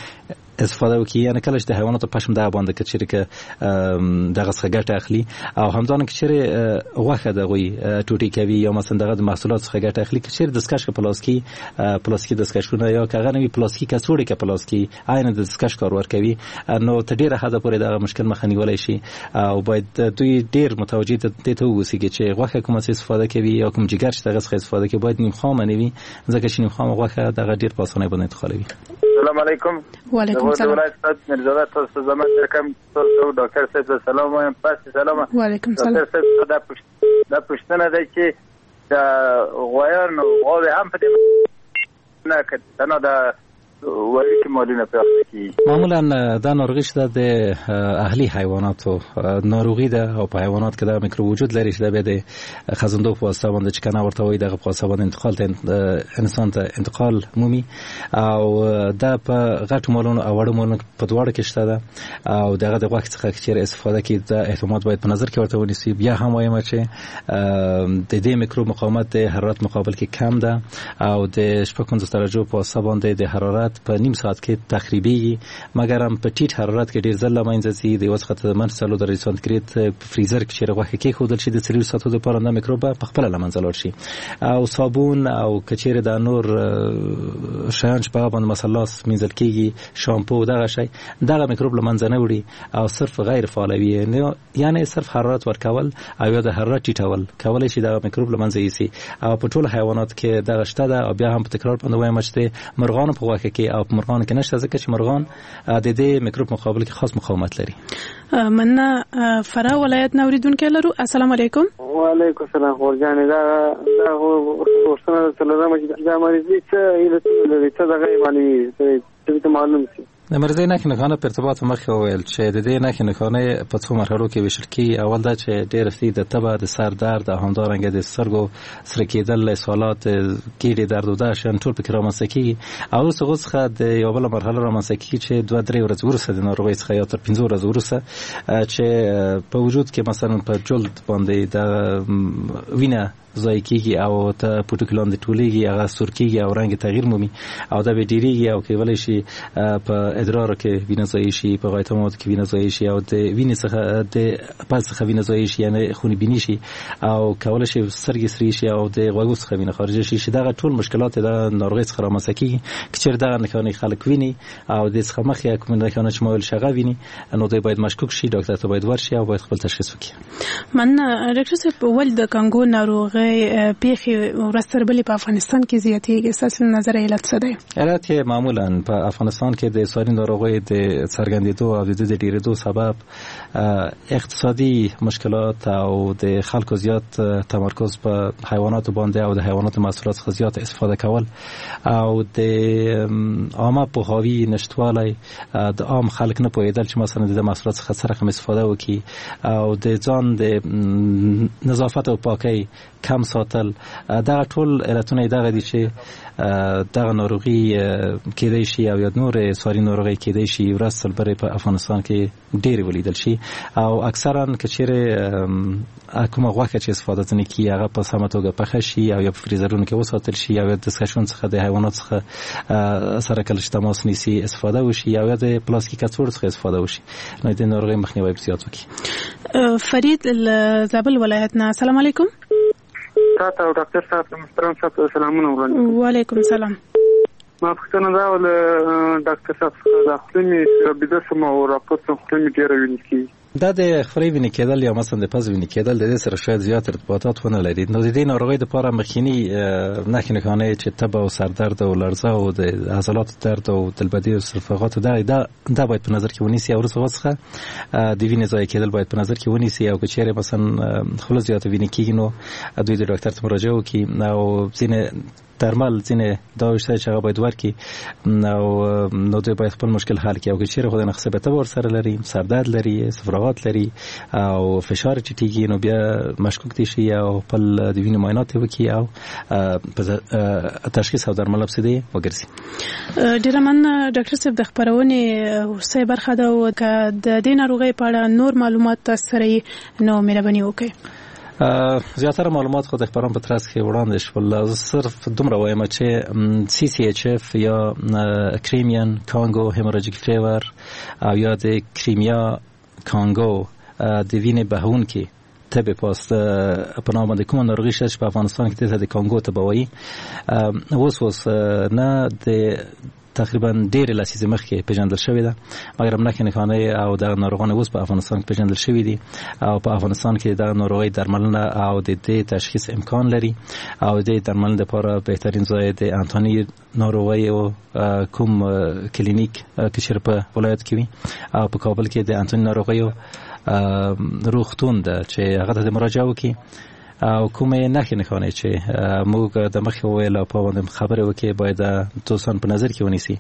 استفاده وکړي، یعنی کله چې د حیواناتو پشم دغه باندې که چیرې که دغه څخه ګټه اخلي او همدارنګه که چیرې غوښه د هغوی ټوټې کوي یا مثلا دغه د محصولات څخه ګټه اخلي، که چیرې دستکش که په لاس کې پلاستیکي دستکشونه یا که هغه نه وي پلاستیکي کڅوړې که په لاس کې عین د دستکش کار ورکوي، نو تر ډېره حده پورې دغه مشکل مخه نیولی شي. او باید دوی ډېر متوجه دې ته واوسي چې غوښه کومه څه استفاده کوي یا کوم جګر چې دغه څخه استفاده کوي باید نیم خامه نه وي، ځکه چې نیم خامه غوښه دغه ډېر په اسانۍ باندې انتقالوي. السلام علیکم. وعلیکم السلام. ولایت میرزاده تاسو زما رقم تاسو ډاکټر صاحب سلام وایم. پس سلام. وعلیکم سلام. ډاکټر صاحب دا دا پوښتنه ده چې د غویان غواوې هم په دې نه که تنها د وړوکي مالونه پرې اخته کېږي؟ معمولا دا ناروغي چې ده د اهلي حیواناتو ناروغي ده او په حیوانات کې دا میکروب وجود لري چې دا بیا د خزندو په واسطه باندې چې کنه ورته وایي دغه په واسطه باندې انتقال ته انسان ته انتقال مومي او دا په غټو مالونو او وړو مالونو په دواړو کې شته ده او دغه د غوښې څخه که چیرې استفاده کړي دا اهتمامات باید په نظر کې ورته ونیسي. بیا هم وایم چې د دې میکروب مقاومت د حرارت مقابل کې کم ده او د شپږ پنځوس درجو په واسطه باندې د حرارت په نیم ساعت کې تخریبیږي، مګر هم په ټیټ حرارت کې ډیر ځل له منځه ځي. د یو څخه تر منفي څلور درجې سانتي ګراد په فریزر کې چیرې غوښه کېښودل شي د څلور ساعتو لپاره دا میکروب په خپله له منځه لاړ شي. او صابون او که چیرې دا نور شیان چې په هغه باندې مثلا لاس مینځل کېږي، شامپو دغه شی دغه میکروب له منځه نه وړي او صرف غیر فعالوي، یعنی صرف حرارت ورکول او یا د حرارت ټیټول کولی شي دغه میکروب له منځه یوسي. او په ټولو حیوانات کې دغه شته ده. او بیا هم په تکرار باندې وایم چې د مرغانو په غوښه کې او په مرغانو کې نشته، ځکه چې مرغان د دې میکروب مقابل کې خاص مقاومت لري. مننه. فراه ولایت نه اوریدونکی لرو. السلام علیکم. وعلیکم السلام. خور جانې دا دا پوښتنه درته لرم چې دا مریضي څه علتونه لري، څه دغه یې معلومېږي، څه ته معلوم شي؟ د مرضی نښې نښانه په ارتباط مخکې وویل چې د دې نښې نښانې په څو مرحلو کې ویشل کېږي. اول دا چې ډېر ښه د تبه، د سر درد او همدارنګه د سترګو سره کېدل، اسهالات، ګېډې درد او دا شیان ټول پکې رامنځته کېږي. او وروسته هغو څخه د یوه بله مرحله رامنځته کېږي چې دوه درې ورځې وروسته د ناروغۍ څخه یا تر پنځو ورځو وروسته چې په وجود کې مثلا په جلد باندې د وینه ضایع کېږي او ته پوټکي لاندې ټولېږي، هغه سور کېږي او رنګ تغییر مومي او دا به ډېرېږي او کولی شي په ادرارو کې وینه ضایع شي، په غایطه موادو کې وینه ضایع شي او د وینې څخه د پز څخه وینه ضایع شي، یعنی خونې بیني شي او کولی شي سترګې سرې شي او د غوږو څخه وینه خارجه شي. چې دغه ټول مشکلات د ناروغۍ څخه رامنځته کېږي. که چېرې دغه نښانې خلک ویني او د څخه مخکې کومې نښانې چې ما ویل شي هغه ویني، نو دوی باید مشکوک شي، ډاکټر ته باید ورشي او باید خپل تشخیص وکړي. مننه. ډاکټر صاحب، ولې د کانګو ناروغۍ پیښې ورځ تر بلې په افغانستان کې زیاتېږي؟ ستاسو له نظره علت څه دی؟ علت یې معمولا په افغانستان کې د ساري ناروغۍ د څرګندېدو او د د ډېرېدو سبب اقتصادي مشکلات او د خلکو زیات تمرکز په حیواناتو باندې او د حیواناتو محصولات څخه زیات استفاده کول او د عامه پوهاوي نشتوالی، د عام خلک نه پوهېدل چې مثلا د محصولات څخه څه رقم استفاده وکړي او د ځان د نظافت او پاکۍ کم کم ساتل، دغه ټول علتونه دغه دي چې دغه ناروغي کېدای شي او یا نور ساري ناروغي کېدای شي ورځ تر بلې په افغانستان کې ډېرې ولیدل شي. او اکثرا که چیرې کومه غوښه چې استفاده ځنې کیږي هغه په سمه توګه پخه شي او یا په فریزرونو کې وساتل شي او یا د دستکشونو څخه د حیواناتو څخه سره کله چې تماس نیسي استفاده وشي او یا د پلاستیکي کڅوړو څخه استفاده وشي، نو د ناروغۍ مخنیوی به زیات وکړي. فرید له زابل ولایت نه، السلام علیکم. تاته او ډاکټر صاحب محترم صاحب سلامونه وړاندې. وعلیکم سلام. ما پوښتنه دا وه له ډاکټر صاحب څخه، دا خوله مې بیده شوم او راپورته خوله مې ډېره وینې کېږي. دا د خولې وینې کېدل یا مثلا د پزې وینې کېدل د دې سره شاید زیات ارتباطات ونه لري. نو د دې ناروغۍ لپاره مخکینی نښې نښانې چې تبه او سردرد او لړزه او د عضلاتو درد او دلبدې او صفغاتو دا دا دا باید په نظر کې ونیسي او وروسته څخه د وینې ضایع کېدل باید په نظر کې ونیسي. او که چیرې مثلا خوله زیاته وینې کېږي نو دوی د ډاکټر ته مراجعه وکړي او ځینې درمل ځینې دواوې شته چې هغه باید ورکړي او نو دوی باید خپل مشکل حل کړي. او که چیرې خدای نخواسته تبه ورسره لري، سردرد لري، صفراغات لري او فشار ټیټېږي نو بیا مشکوک دي شي او خپل د وینې معاینات وکړي او تشخیص او درمل پسې دې وګرځي. ډېره مننه ډاکټر صاحب. د خپرونې وروستۍ برخه ده او که د دې ناروغۍ په اړه نور معلومات تاسو سره یې نو مهرباني وکړئ. زیاتره معلومات خو د خبرونو په ترڅ کې وړاندې شول. زه صرف دومره وایم چې سی سی اچ اف یا کریمین کانګو هیموراجیک فیور او یا د کریمیا کانګو د وینې بهونکي تبې پاس په نام باندې کومه ناروغي شته چې په افغانستان کې د کانګو تبه وایي، اوس اوس نه د تقریبا ډېرې لسیزې مخکې پېژندل شوې ده، مګر نښې نښانې او دغه ناروغان اوس په افغانستان کې پېژندل شوي دي او په افغانستان کې دغه ناروغۍ درملنه او د دې تشخیص امکان لري او د دې درملنې لپاره بهترین ځای د انتاني ناروغۍ او کوم کلینیک که چېرې په ولایت کې وي او په کابل کې د انتاني ناروغیو روغتون ده چې هغه ته مراجعه وکړي او کومې نښې نښانې چې موږ د مخې وویل او په باندې خبرې وکړي باید دوستان په نظر کې ونیسي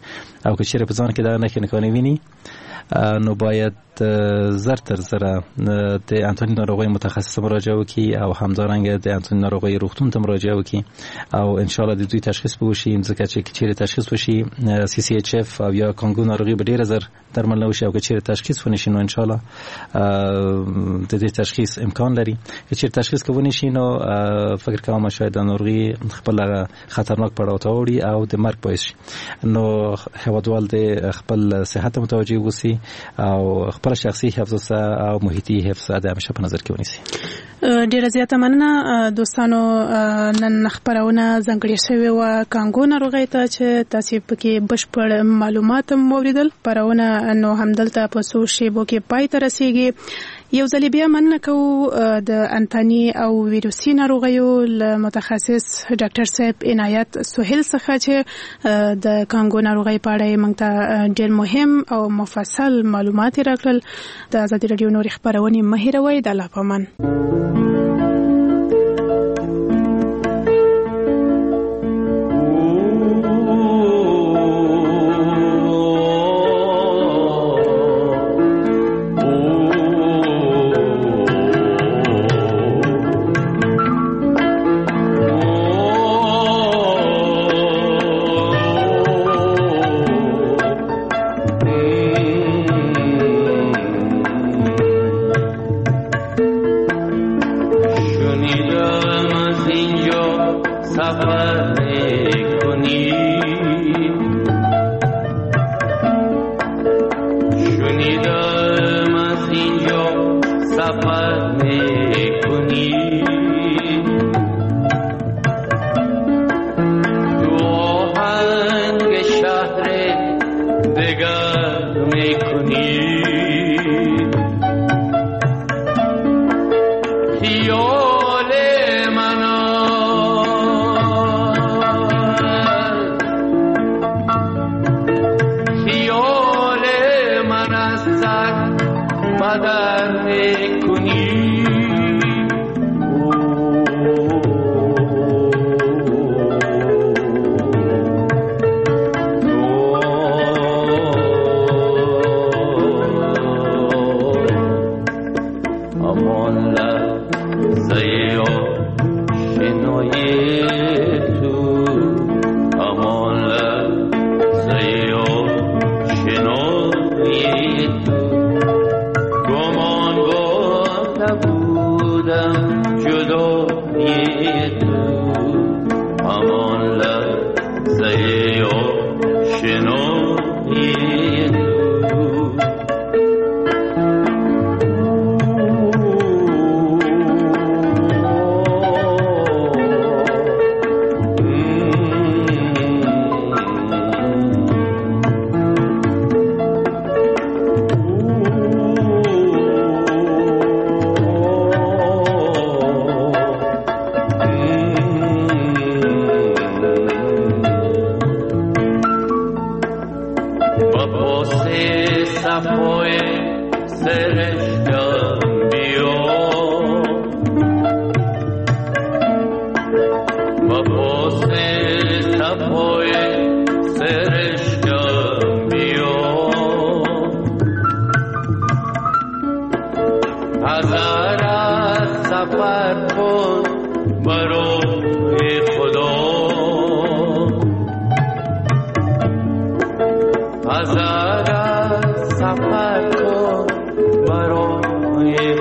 او که چېرې په ځان کې دا نښې نښانې ویني نو باید زر تر زره د انتاني ناروغۍ متخصص مراجعه وکړي او همدارنګه د انتاني ناروغۍ روغتون ته مراجعه وکړي او ان شاء الله د دوی تشخیص به وشي، ځکه چې چیرې تشخیص وشي سی سی اچ اف او یا کانګو ناروغي به ډیره زر درملنه وشي او که چیرې تشخیص ونشي نو ان شاء الله د دې تشخیص امکان لري. که چیرې تشخیص ونه شي نو فکر کوم شاید د ناروغي خپل خطرناک پړاو ته اوړي او د مرګ باعث شي. نو هیوادوال د خپل صحت متوجه اوسي او خپل شخصي حفظ او محیطي حفظ د همیشه په نظر کې ونیسي. ډیره زیاته مننه دوستانو. نن خبرونه ځانګړې شوې وه کانګو ناروغۍ ته چې تاسو پکې بشپړ معلومات هم واوریدل. خپرونه نو همدلته په څو شیبو کې پای ته رسیږي. یو ځل بیا مننه کوو د انتاني او ویروسي ناروغیو له متخصص ډاکټر صاحب عنایت سهیل څخه چې د کانګو ناروغۍ په اړه یې موږ ته ډېر مهم او مفصل معلومات یې راکړل. د ازادي راډیو نورې خپرونې مه هېروئ. د الله په امان. Thank you. تو، گمان برده بودم جدایی تو، همان لحظه آشنایی تو. سفر کن برای